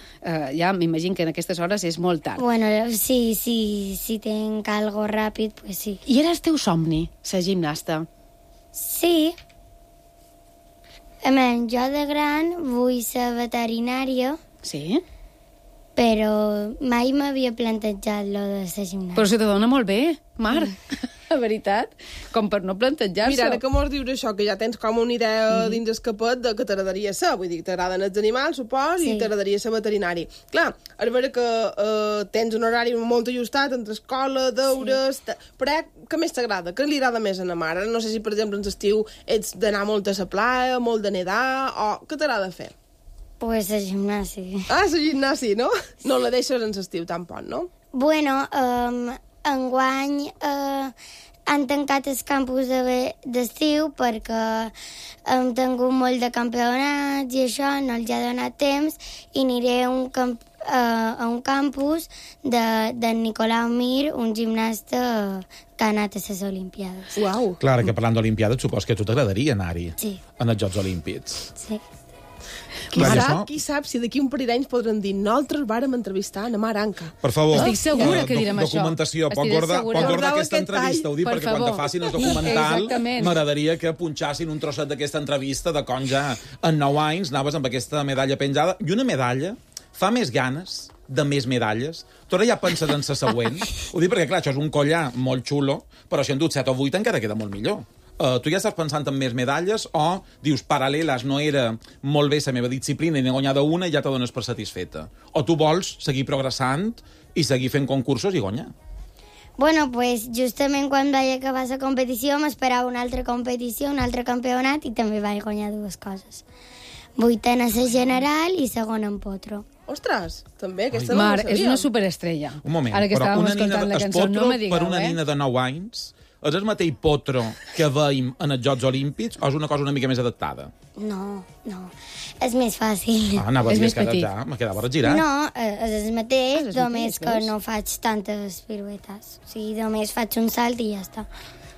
ja m'imagino que en aquestes hores és molt tard. Bueno, si tenc algo ràpid, pues sí. I era el teu somni, ser gimnasta? Sí. Jo de gran vull ser veterinària. Sí? Però mai m'havia plantejat lo de ser gimnàsia. Però se te dona molt bé, Mar, la veritat, com per no plantejar-se. Mira, ara que mos dius això, que ja tens com una idea dins el capet de que t'agradaria ser, vull dir, t'agraden els animals, supos, i t'agradaria ser veterinari. Clar, a veure que tens un horari molt ajustat entre escola, deures... Però què més t'agrada? Què li agrada més a la mare? No sé si, per exemple, en l'estiu ets d'anar molt a la playa, molt de nedar, o què t'agrada fer? Pues a gimnàsia. Ah, la gimnàsia, no? No la deixes en l'estiu tampoc, no? Bueno, enguany han tancat els campus d'estiu perquè hem tingut molt de campionats i això, no els ha donat temps, i aniré a un campus de Nicolau Mir, un gimnasta que ha anat a les Olimpiades. Uau! Clar, que parlant d'Olimpiades, supos que a tu t'agradaria anar-hi. Sí. En els Jocs Olímpics. Sí. Qui sap si d'aquí un parell d'anys podran dir nosaltres vàrem entrevistar a Mar Anca. Per favor, estic segura que direm documentació. això. Pot guardar aquesta entrevista, ho dic perquè quan te facin el documental m'agradaria que punxassin un trosset d'aquesta entrevista de com ja en 9 anys anaves amb aquesta medalla penjada. I una medalla fa més ganes de més medalles. Tu ara ja penses en la següent. Ho dic perquè, clar, això és un collar molt xulo, però si en dut 7 o 8 encara queda molt millor. Tu ja estàs pensant en més medalles o dius, paral·leles, no era molt bé la meva disciplina i n'he guanyada una i ja te dones per satisfeta? O tu vols seguir progressant i seguir fent concursos i guanyar? Bueno, pues justament quan vaig acabar la competició m'esperava una altra competició, un altre campionat, i també vaig guanyar 2 coses. 8a a la general i 2a en potro. Ostres, també, aquesta Mar, no ho sabia. és una superestrella. Un moment, ara que però estàvem una nina escoltant la cançó, no me digueu, per una nina de 9 anys és el mateix potro que veiem en els Jocs Olímpics o és una cosa una mica més adaptada? No. És més fàcil. Anava a dir que ja me quedava regirat. No, és el mateix, només que no faig tantes piruetes. O sigui, només faig un salt i ja està.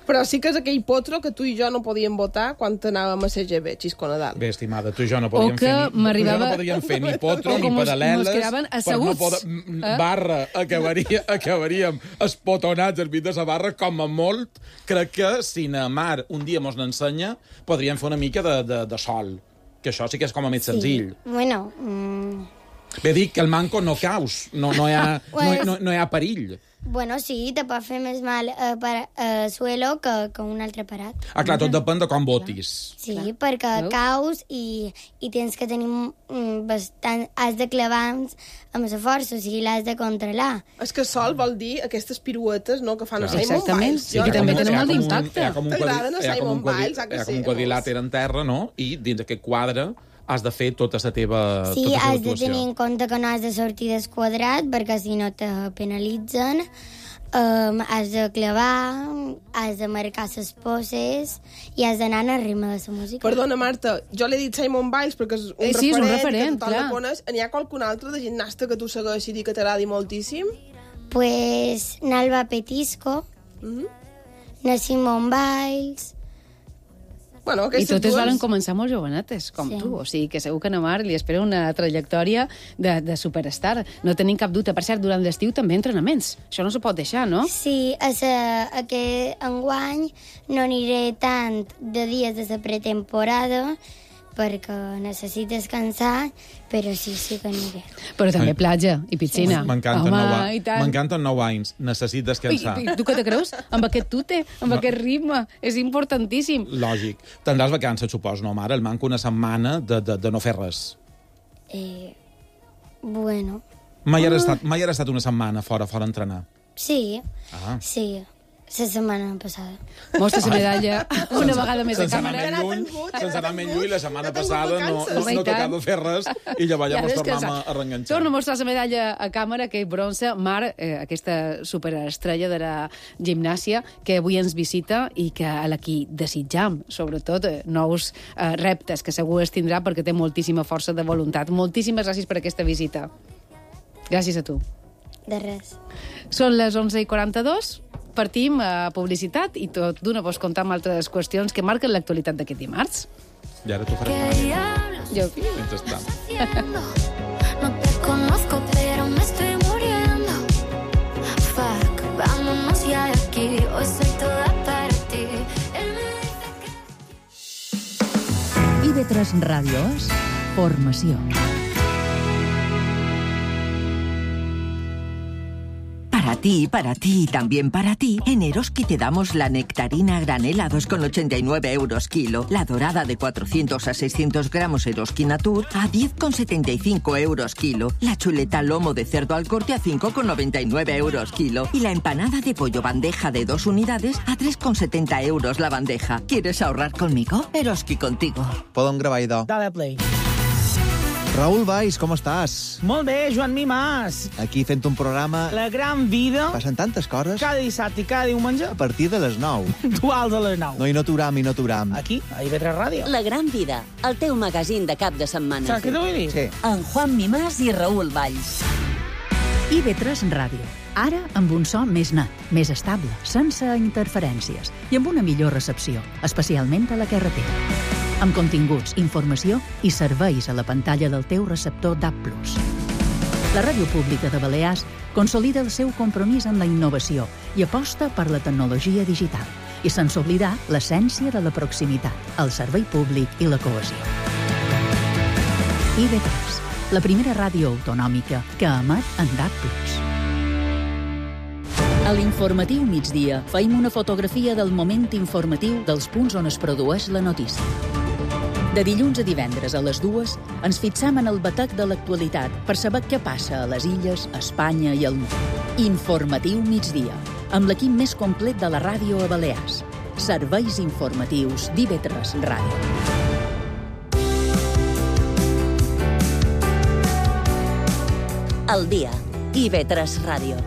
Però sí que és aquell potro que tu i jo no podíem votar quan anàvem a CGB, Xisco Nadal. Bé, estimada, tu i jo no podíem fer ni potro ni paral·leles. Per no poder... Barra, acabaríem espotonats al mig de la barra, com a molt. Crec que si na Mar un dia mos n'ensenya, podríem fer una mica de sol. Que això sí que és com a més senzill. Bueno... Bé, dic que el manco no caus, no hi ha perill. Bueno, sí, te pot fer més mal suelo que un altre parat. Ah, clar, tot depèn de com votis. Sí, perquè caus i tens que tenir bastant... Has de clavar amb la força, o sigui, l'has de controlar. És que sol vol dir aquestes piruetes, no?, que fan a Simon Biles. Sí, que també tenen molt d'impacte. T'agraden a Simon Biles, que sí? Hi ha com un quadrilàter en terra, no?, i dins aquest quadre has de fer tota la teva actuació. Sí, has de tenir en compte que no has de sortir del quadrat, perquè si no te penalitzen. Has de clavar, has de marcar les poses i has d'anar al ritme de la música. Perdona, Marta, jo l'he dit Simon Biles perquè és un referent que tothom la coneix. N'hi ha qualcun altre de gimnasta que tu segueixis i que t'agradi moltíssim? Pues Nalva Petisco, na Simon Biles... Bueno, i totes varen començar molt jovenetes, com tu. O sigui que segur que a Mar li espera una trajectòria de superstar. No tenim cap dubte. Per cert, durant l'estiu també entrenaments. Això no se pot deixar, no? Sí, aquest enguany no aniré tant de dies de la pretemporada perquè necessito descansar, però sí que aniré. Però també platja i piscina. M'encanten 9 anys. Necessito descansar. I tu què te creus? Amb aquest tute, amb aquest ritme. És importantíssim. Lògic. Tindràs vacances, supos, no, mare? El manco una setmana de no fer res. Bueno... Mai has estat una setmana fora entrenar? Sí, sí. La setmana passada. Mostra la medalla una vegada més a càmera. Sense anar més lluny, la setmana passada no tocava fer res i llavors ens tornem a reenganxar. Torna a mostrar la medalla a càmera, que és bronze. Mar, aquesta superestrella de la gimnàsia, que avui ens visita i que a la qui desitjam, sobretot, nous reptes que segur es tindrà perquè té moltíssima força de voluntat. Moltíssimes gràcies per aquesta visita. Gràcies a tu. De res. Són les 11:42. Partim a publicitat i tot d'una vos contar amb altres qüestions que marquen l'actualitat d'aquest dimarts. I ara t'ho faràs. Jo. No te conozco, pero me estoy muriendo. Fuck, vámonos ya de aquí. Hoy soy toda para ti. IB3 Ràdio és formació. Para ti y también para ti, en Eroski te damos la nectarina granel a 2,89 euros kilo, la dorada de 400 a 600 gramos Eroski Natur a 10,75 euros kilo, la chuleta lomo de cerdo al corte a 5,99 euros kilo y la empanada de pollo bandeja de 2 unidades a 3,70 euros la bandeja. ¿Quieres ahorrar conmigo? Eroski contigo. Podem gravar, idò. Dale play. Raül Valls, com estàs? Molt bé, Joan Mimàs. Aquí fent un programa... La gran vida. Passen tantes coses. Cada dissabte i cada diumenge. A partir de les 9. Duals a les 9. No, i no t'uram. Aquí, a IB3 Ràdio. La gran vida, el teu magazín de cap de setmana. Saps què t'ho vull dir? Sí. En Juan Mimàs i Raül Valls. IB3 Ràdio. Ara amb un so més net, més estable, sense interferències i amb una millor recepció, especialment a la carretera. Amb continguts, informació i serveis a la pantalla del teu receptor DAB+. La Ràdio Pública de Balears consolida el seu compromís amb la innovació i aposta per la tecnologia digital, i sense oblidar l'essència de la proximitat, el servei públic i la cohesió. IB3, la primera ràdio autonòmica que emet en DAB+. A l'informatiu migdia feim una fotografia del moment informatiu dels punts on es produeix la notícia. De dilluns a divendres a les 2 ens fixam en el batec de l'actualitat per saber què passa a les illes, a Espanya i al món. Informatiu migdia, amb l'equip més complet de la ràdio a Balears. Serveis informatius d'IB3 Ràdio. El dia, IB3 Ràdio.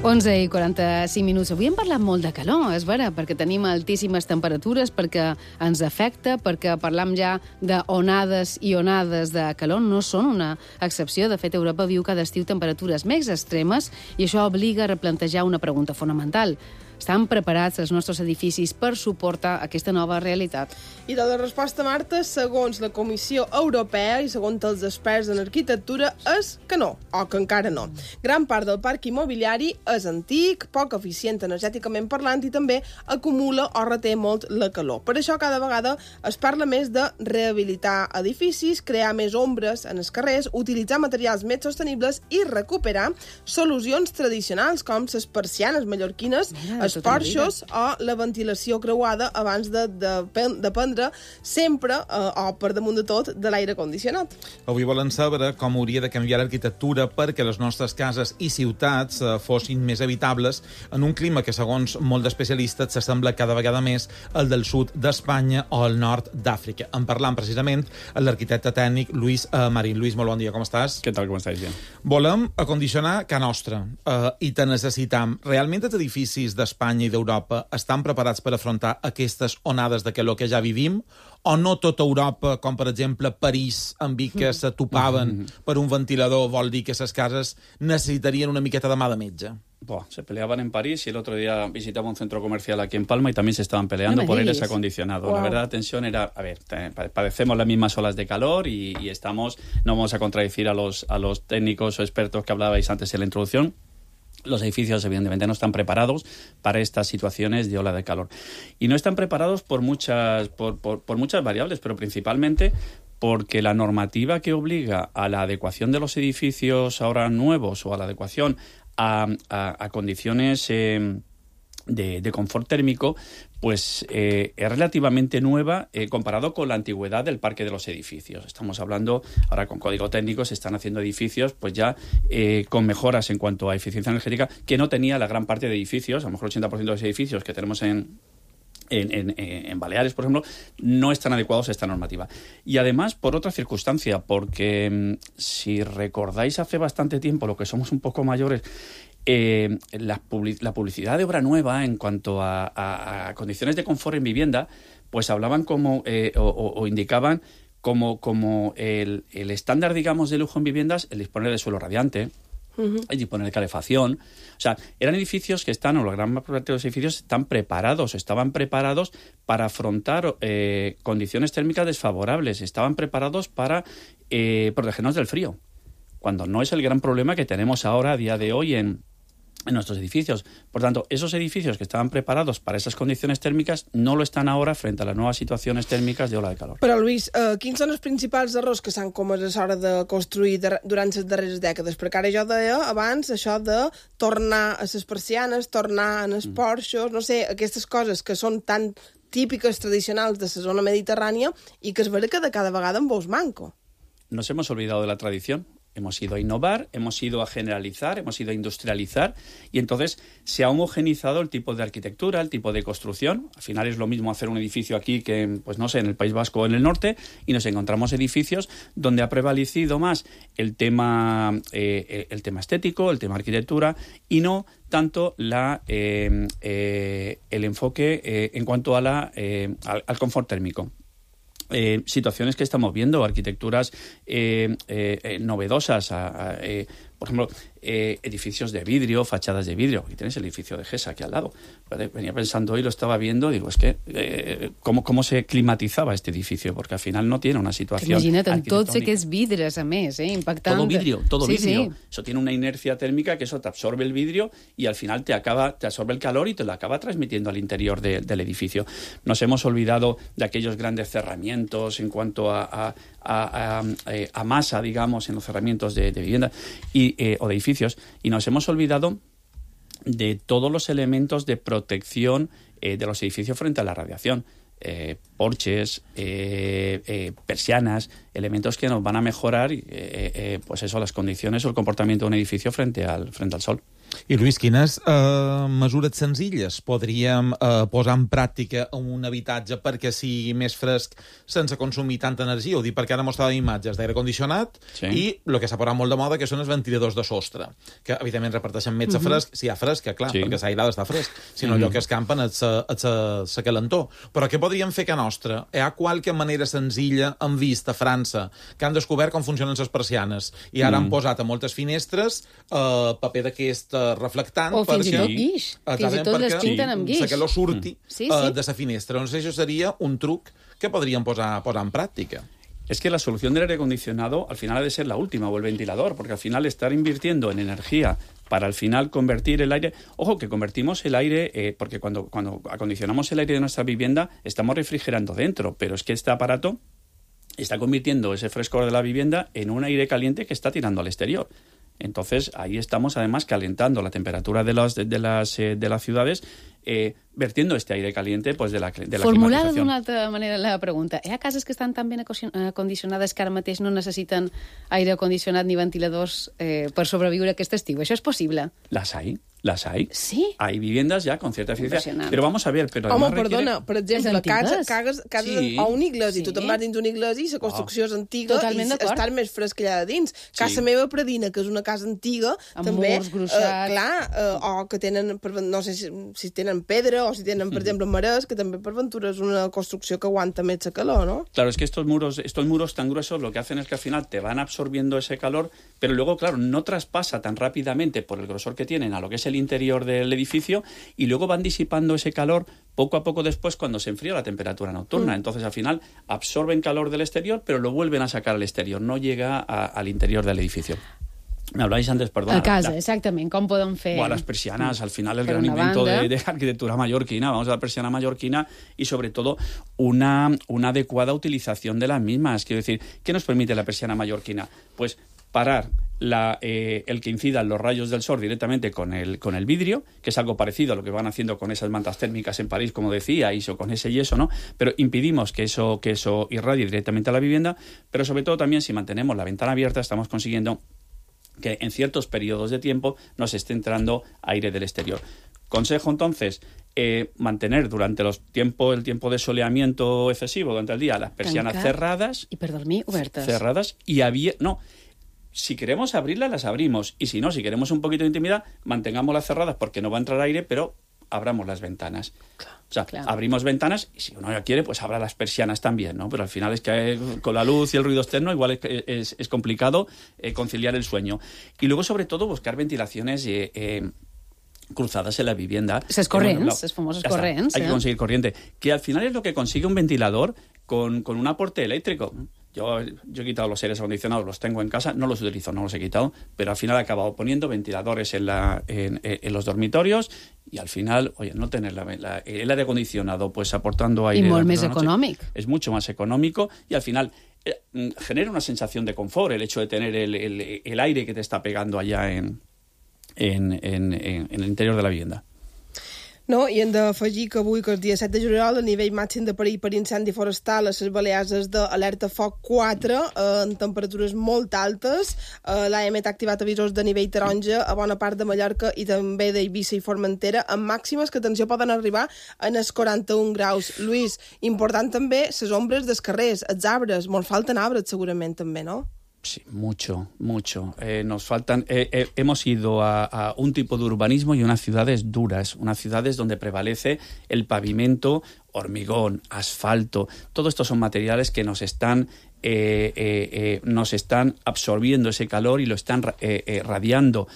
Onze i 45 minuts. Avui hem parlat molt de calor, és vera, perquè tenim altíssimes temperatures, perquè ens afecta, perquè parlam ja d'onades i onades de calor. No són una excepció. De fet, Europa viu cada estiu temperatures més extremes i això obliga a replantejar una pregunta fonamental. Estan preparats els nostres edificis per suportar aquesta nova realitat? I de la resposta, Marta, segons la Comissió Europea i segons els experts en arquitectura, és que no, o que encara no. Gran part del parc immobiliari és antic, poc eficient energèticament parlant i també acumula o reté molt la calor. Per això cada vegada es parla més de rehabilitar edificis, crear més ombres en els carrers, utilitzar materials més sostenibles i recuperar solucions tradicionals com les persianes mallorquines, els porxos o la ventilació creuada abans de dependre sempre, o per damunt de tot, de l'aire condicionat. Avui volen saber com hauria de canviar l'arquitectura perquè les nostres cases i ciutats fossin més habitables en un clima que, segons molts especialistes, s'assembla cada vegada més al del sud d'Espanya o al nord d'Àfrica. En parlant precisament amb l'arquitecte tècnic Lluís Marín. Lluís, molt bon dia, com estàs? Què tal, com estàs, Jean? Volem acondicionar casa nostra i te necessitam. Realment els edificis d'Espanya i d'Europa estan preparats per afrontar aquestes onades de calor que ja vivim? O no tota Europa, com per exemple París, amb Vic, que se topaven per un ventilador, vol dir que les cases necessitarien una miqueta de mà de metge? Se peleaban en París y el otro día visitaba un centro comercial aquí en Palma y también se estaban peleando por aires acondicionados. La verdad, la tensión era, a ver, padecemos las mismas olas de calor y estamos, no vamos a contradecir a los técnicos o expertos que hablabais antes en la introducción. Los edificios, evidentemente, no están preparados para estas situaciones de ola de calor. Y no están preparados por muchas variables, pero principalmente porque la normativa que obliga a la adecuación de los edificios ahora nuevos o a la adecuación a condiciones de confort térmico, pues es relativamente nueva comparado con la antigüedad del parque de los edificios. Estamos hablando, ahora con código técnico se están haciendo edificios pues ya con mejoras en cuanto a eficiencia energética que no tenía la gran parte de edificios, a lo mejor el 80% de los edificios que tenemos en Baleares, por ejemplo, no están adecuados a esta normativa. Y además, por otra circunstancia, porque si recordáis hace bastante tiempo, lo que somos un poco mayores, la publicidad de obra nueva en cuanto a condiciones de confort en vivienda, pues hablaban como o indicaban como el estándar, digamos, de lujo en viviendas, el disponer de suelo radiante, hay que poner calefacción. O sea, eran edificios que están, o la gran parte de los edificios estaban preparados para afrontar condiciones térmicas desfavorables, estaban preparados para protegernos del frío, cuando no es el gran problema que tenemos ahora, a día de hoy, en nuestros edificios. Por tanto, esos edificios que estaven preparats per a aquestes condicions tèrmiques no lo estan ara frente a les noves situacions tèrmiques d'ola de calor. Però, Lluís, quins són els principals errors que s'han comès a l'hora de construir durant les darreres dècades? Perquè ara jo deia abans això de tornar a les persianes, tornar en els porxos, no sé, aquestes coses que són tan típiques, tradicionals de la zona mediterrània i que es vera que de cada vegada en veus manco. Nos hemos olvidado de la tradición. Hemos ido a innovar, hemos ido a generalizar, hemos ido a industrializar y entonces se ha homogenizado el tipo de arquitectura, el tipo de construcción. Al final es lo mismo hacer un edificio aquí que, pues no sé, en el País Vasco o en el norte, y nos encontramos edificios donde ha prevalecido más el tema estético, el tema arquitectura y no tanto el enfoque en cuanto a al confort térmico. Situaciones que estamos viendo, arquitecturas novedosas, por ejemplo, edificios de vidrio, fachadas de vidrio. Aquí tenéis el edificio de GESA aquí al lado. Venía pensando hoy, lo estaba viendo, digo, es que ¿cómo se climatizaba este edificio? Porque al final no tiene una situación imagina't, en tot sé que és vidres, a més, impactant. Todo vidrio. Sí. Eso tiene una inercia térmica que eso te absorbe el vidrio y al final te absorbe el calor y te lo acaba transmitiendo al interior del edificio. Nos hemos olvidado de aquellos grandes cerramientos en cuanto a masa, digamos, en los cerramientos de vivienda o de edificios, y nos hemos olvidado de todos los elementos de protección de los edificios frente a la radiación. Porches, persianas, elementos que nos van a mejorar pues eso, las condiciones o el comportamiento de un edificio frente al sol. I, Lluís, quines mesures senzilles podríem posar en pràctica en un habitatge perquè sigui més fresc sense consumir tanta energia? Ho dic perquè ara mostràvem imatges d'aire condicionat i el que s'ha posat molt de moda, que són els ventiladors de sostre, que evidentment reparteixen més fresc, si hi ha fresc, clar, perquè l'aire està fresc, sinó allò que escampen és la calentor. Però què podríem fer que nostra? Hi ha qualque manera senzilla, hem vist a França, que han descobert com funcionen les persianes i ara han posat a moltes finestres paper d'aquest reflectant, o fins i tot guix, fins i tot les pinten amb guix, la calor surti de la finestra. Doncs això seria un truc que podríem posar en práctica. Es que la solución del aire acondicionado al final ha de ser la última, o el ventilador, porque al final estar invirtiendo en energía para al final convertir el aire... Ojo, que convertimos el aire, porque cuando acondicionamos el aire de nuestra vivienda estamos refrigerando dentro, pero es que este aparato está convirtiendo ese frescor de la vivienda en un aire caliente que está tirando al exterior. Entonces, ahí estamos además calentando la temperatura de las ciudades, vertiendo este aire caliente pues, de la Formulada climatización. d'una altra manera la pregunta. Hi ha cases que estan tan ben acondicionades que ara mateix no necessiten aire acondicionat ni ventiladors per sobreviure aquest estiu? Això és possible? Las hay. Sí. Hay viviendas ya con cierta eficiencia. Pero vamos a ver... Home, perdona, per exemple, cases o un iglesi, tu te'n vas dins un iglesi i la construcció és antiga i estar més fresc allà de dins. Casa meva predina, que és una casa antiga, amb també, murs gruixats, o que tenen, no sé si tenen pedra o si tenen, per exemple, marès, que també per ventura és una construcció que aguanta més la calor, ¿no? Claro, es que estos muros tan gruesos lo que hacen es que al final te van absorbiendo ese calor, pero luego, claro, no traspasa tan rápidamente por el grosor que tienen a lo que es el interior del edificio y luego van disipando ese calor poco a poco después cuando se enfría la temperatura nocturna. Entonces, al final, absorben calor del exterior, pero lo vuelven a sacar al exterior, no llega al interior del edificio. Me hablabais antes, perdona. A casa, exactament. Com podem fer? Las persianas, al final el gran invento de arquitectura mallorquina. Vamos a la persiana mallorquina y sobre todo una adecuada utilización de las mismas. Quiero decir, ¿qué nos permite la persiana mallorquina? Pues parar el que incidan los rayos del sol directamente con el vidrio, que es algo parecido a lo que van haciendo con esas mantas térmicas en París, como decíais, o con ese yeso, ¿no? Pero impedimos que eso irradie directamente a la vivienda, pero sobre todo también si mantenemos la ventana abierta estamos consiguiendo que en ciertos periodos de tiempo nos esté entrando aire del exterior. Consejo, entonces, mantener durante el tiempo de soleamiento excesivo durante el día las persianas cerradas. Y per dormir obertes. Cerradas y si queremos abrirlas, las abrimos. Y si no, si queremos un poquito de intimidad, mantengámoslas cerradas porque no va a entrar aire, pero abramos las ventanas. O sea, abrimos ventanas y si uno ya quiere, pues abra las persianas también, ¿no? Pero al final es que con la luz y el ruido externo igual es complicado conciliar el sueño. Y luego, sobre todo, buscar ventilaciones cruzadas en la vivienda. Els corrents, els famosos corrents. Hay que conseguir corriente, que al final es lo que consigue un ventilador con un aporte eléctrico. Yo he quitado los aires acondicionados, los tengo en casa, no los utilizo, no los he quitado, pero al final he acabado poniendo ventiladores en los dormitorios y al final, oye, no tener el aire acondicionado pues aportando aire... I molt més econòmic. Es mucho más económico y al final genera una sensación de confort el hecho de tener el aire que te está pegando allá en el interior de la vivienda. No, i hem d'afegir que avui, que el dia 7 de juliol, el nivell màxim de perill per incendi forestal a les Balears és d'alerta foc 4, en temperatures molt altes. L'AEMET ha activat avisos de nivell taronja a bona part de Mallorca i també d'Eivissa i Formentera, amb màximes que, atenció, poden arribar en els 41 graus. Lluís, important també les ombres dels carrers, els arbres. Molt falten arbres, segurament, també, no? Sí, mucho. Nos faltan. Hemos ido a un tipo de urbanismo y unas ciudades duras, unas ciudades donde prevalece el pavimento, hormigón, asfalto. Todo esto son materiales que nos están absorbiendo ese calor y lo están radiando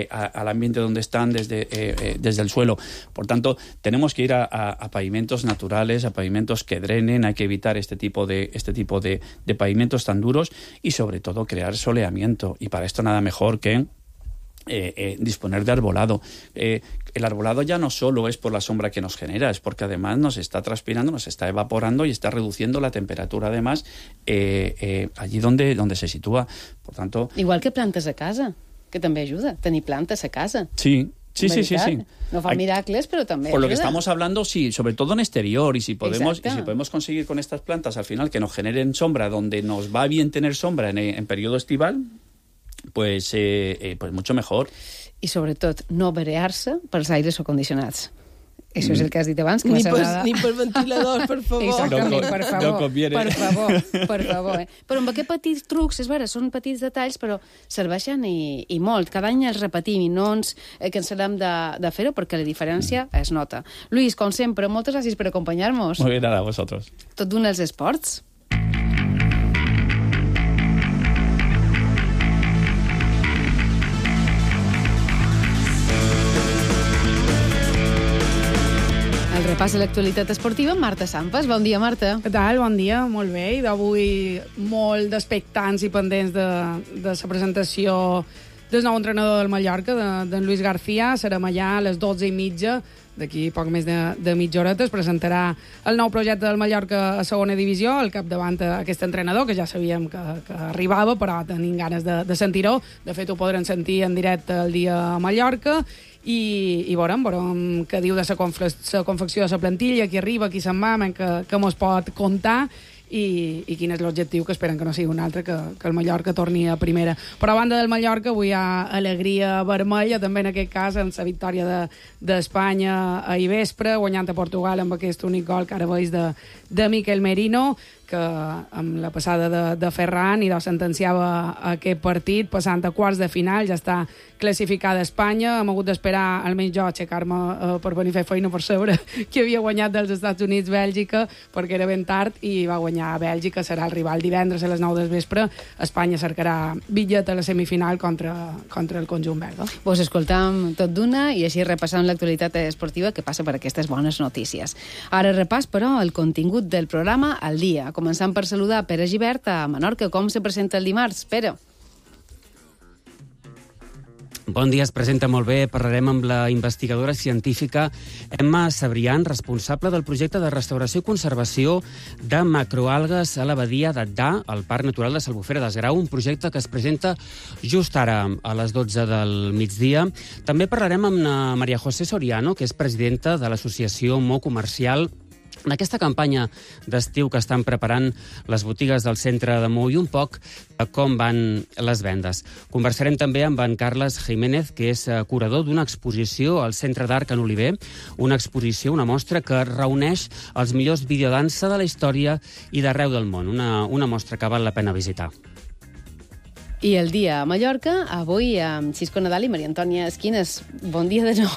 al ambiente donde están desde el suelo. Por tanto, tenemos que ir a pavimentos naturales, a pavimentos que drenen. Hay que evitar este tipo de pavimentos tan duros y, sobre todo, crear soleamiento. Y para esto nada mejor que disponer de arbolado. El arbolado ya no solo es por la sombra que nos genera, es porque además nos está transpirando, nos está evaporando y está reduciendo la temperatura además allí donde se sitúa. Por tanto... Igual que plantes a casa, que també ajuda, tenir plantes a casa. Sí. No fa miracles, pero también por lo que estamos hablando, sí, sobre todo en exterior, y si podemos conseguir con estas plantas al final que nos generen sombra, donde nos va bien tener sombra en periodo estival, pues mucho mejor. I sobretot no marear-se pels aires acondicionats. Això és el que has dit abans. Que ni per ventiladors, per favor. Exactament, per favor. No conviene. Per favor. Però amb aquests petits trucs, és vera, són petits detalls, però serveixen i molt. Cada any els repetim i no ens cansarem de fer-ho perquè la diferència es nota. Lluís, com sempre, moltes gràcies per acompanyar-nos. Muy bien, nada, vosotros. Tot d'un els esports. El repàs de l'actualitat esportiva amb Marta Sampas. Bon dia, Marta. Què tal? Bon dia, molt bé. I d'avui molt d'expectants i pendents de la presentació del nou entrenador del Mallorca, d'en Luis García. Serem allà a les 12:30, d'aquí poc més de mitja horeta. Es presentarà el nou projecte del Mallorca a segona divisió, al capdavant aquest entrenador, que ja sabíem que arribava, però tenim ganes de sentir-ho. De fet, ho podrem sentir en directe el dia a Mallorca. I veurem què diu de la confecció de la plantilla, qui arriba, qui se'n va, que mos pot contar i quin és l'objectiu, que esperen que no sigui un altre, que el Mallorca torni a primera. Però a banda del Mallorca avui hi ha alegria vermella, també en aquest cas amb la victòria d'Espanya ahir vespre, guanyant a Portugal amb aquest únic gol que ara veus de Miquel Merino, que amb la passada de Ferran i sentenciava aquest partit, passant a quarts de final. Ja està classificada Espanya. Hem hagut d'esperar, almenys jo, aixecar-me per venir a fer feina per saber qui havia guanyat dels Estats Units Bèlgica, perquè era ben tard, i va guanyar a Bèlgica. Serà el rival divendres a les 9 del vespre. Espanya cercarà bitllet a la semifinal contra el conjunt belga. Pues escoltam tot d'una i així repassam l'actualitat esportiva que passa per aquestes bones notícies. Ara repàs, però, el contingut del programa al dia. Començant per saludar Pere Gibert a Menorca. Com se presenta el dimarts, Pere? Bon dia, es presenta molt bé. Parlarem amb la investigadora científica Emma Sabrián, responsable del projecte de restauració i conservació de macroalgues a la badia d'Adda, al Parc Natural de l'Albufera d'Esgrau, un projecte que es presenta just ara, a les 12 del migdia. També parlarem amb Maria José Soriano, que és presidenta de l'associació Mo Comercial, en aquesta campanya d'estiu que estan preparant les botigues del centre de Mou i un poc com van les vendes. Conversarem també amb en Carles Jiménez, que és curador d'una exposició al Centre d'Art Can Oliver, una exposició, una mostra que reuneix els millors videodansa de la història i d'arreu del món, una mostra que val la pena visitar. I el dia a Mallorca, avui amb Xisco Nadal i Maria Antònia Esquines. Bon dia de nou.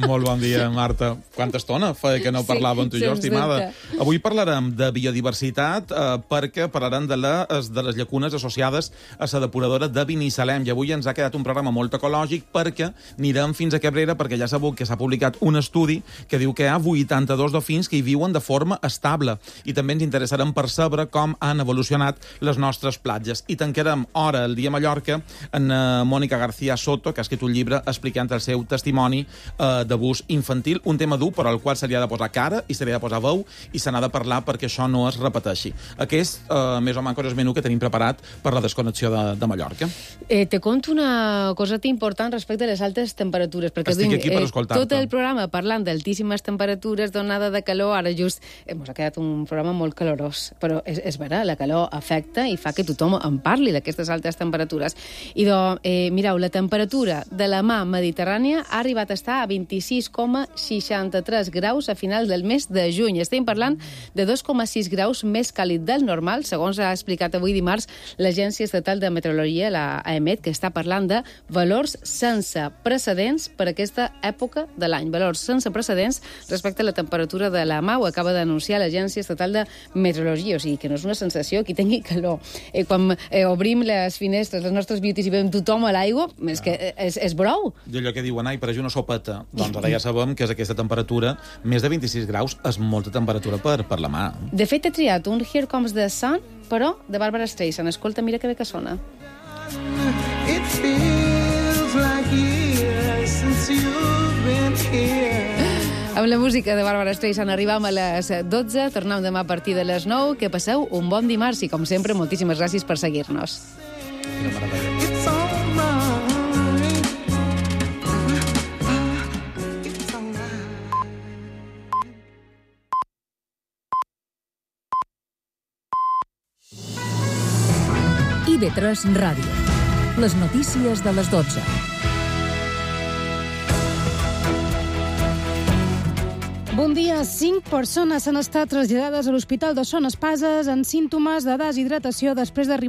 Molt bon dia, Marta. Quanta estona feia que no parlàvem tu i jo, estimada. Avui parlarem de biodiversitat perquè parlarem de les llacunes associades a la depuradora de Binissalem. I avui ens ha quedat un programa molt ecològic perquè anirem fins a Cabrera, perquè ja sabeu que s'ha publicat un estudi que diu que hi ha 82 dofins que hi viuen de forma estable. I també ens interessarem per saber com han evolucionat les nostres platges. I tancarem hora el dia a Mallorca en Mònica García Soto, que ha escrit un llibre explicant el seu testimoni d'abús infantil, un tema dur però al qual se li ha de posar cara i se li ha de posar veu i se n'ha de parlar perquè això no es repeteixi. Aquest, més o menys, és el menú que tenim preparat per la desconnexió de Mallorca. Te conto una coseta important respecte a les altes temperatures, perquè estic aquí per escoltar-te. Tot el programa parlant d'altíssimes temperatures, d'onada de calor, ara just ens ha quedat un programa molt calorós, però és vera, la calor afecta i fa que tothom en parli d'aquestes altes temperatures. I mireu, la temperatura de la mar Mediterrània ha arribat a estar a 26,63 graus a final del mes de juny. Estem parlant de 2,6 graus més càlid del normal, segons ha explicat avui dimarts l'Agència Estatal de Meteorologia, la AEMET, que està parlant de valors sense precedents per aquesta època de l'any. Valors sense precedents respecte a la temperatura de la mar, ho acaba d'anunciar l'Agència Estatal de Meteorologia, o sigui que no és una sensació que tingui calor. Quan obrim les finestres, les nostres beauties, i veiem tothom a l'aigua, és que és brou. I allò que diuen, ai, per això una sopeta. Doncs ara ja sabem que és aquesta temperatura, més de 26 graus, és molta temperatura per la mà. De fet, he triat un Here Comes the Sun, però de Barbara Streisand. Escolta, mira que bé que sona. It feels like years since you've been here. Amb la música de Barbara Streisand arribam a les 12, tornem demà a partir de les 9, que passeu un bon dimarts i, com sempre, moltíssimes gràcies per seguir-nos. It's all right. It's all right. IB3 Ràdio. Les notícies de les 12. Bon dia. 5 persones han estat traslladades a l'Hospital de Son Espases amb símptomes de deshidratació després d'arribar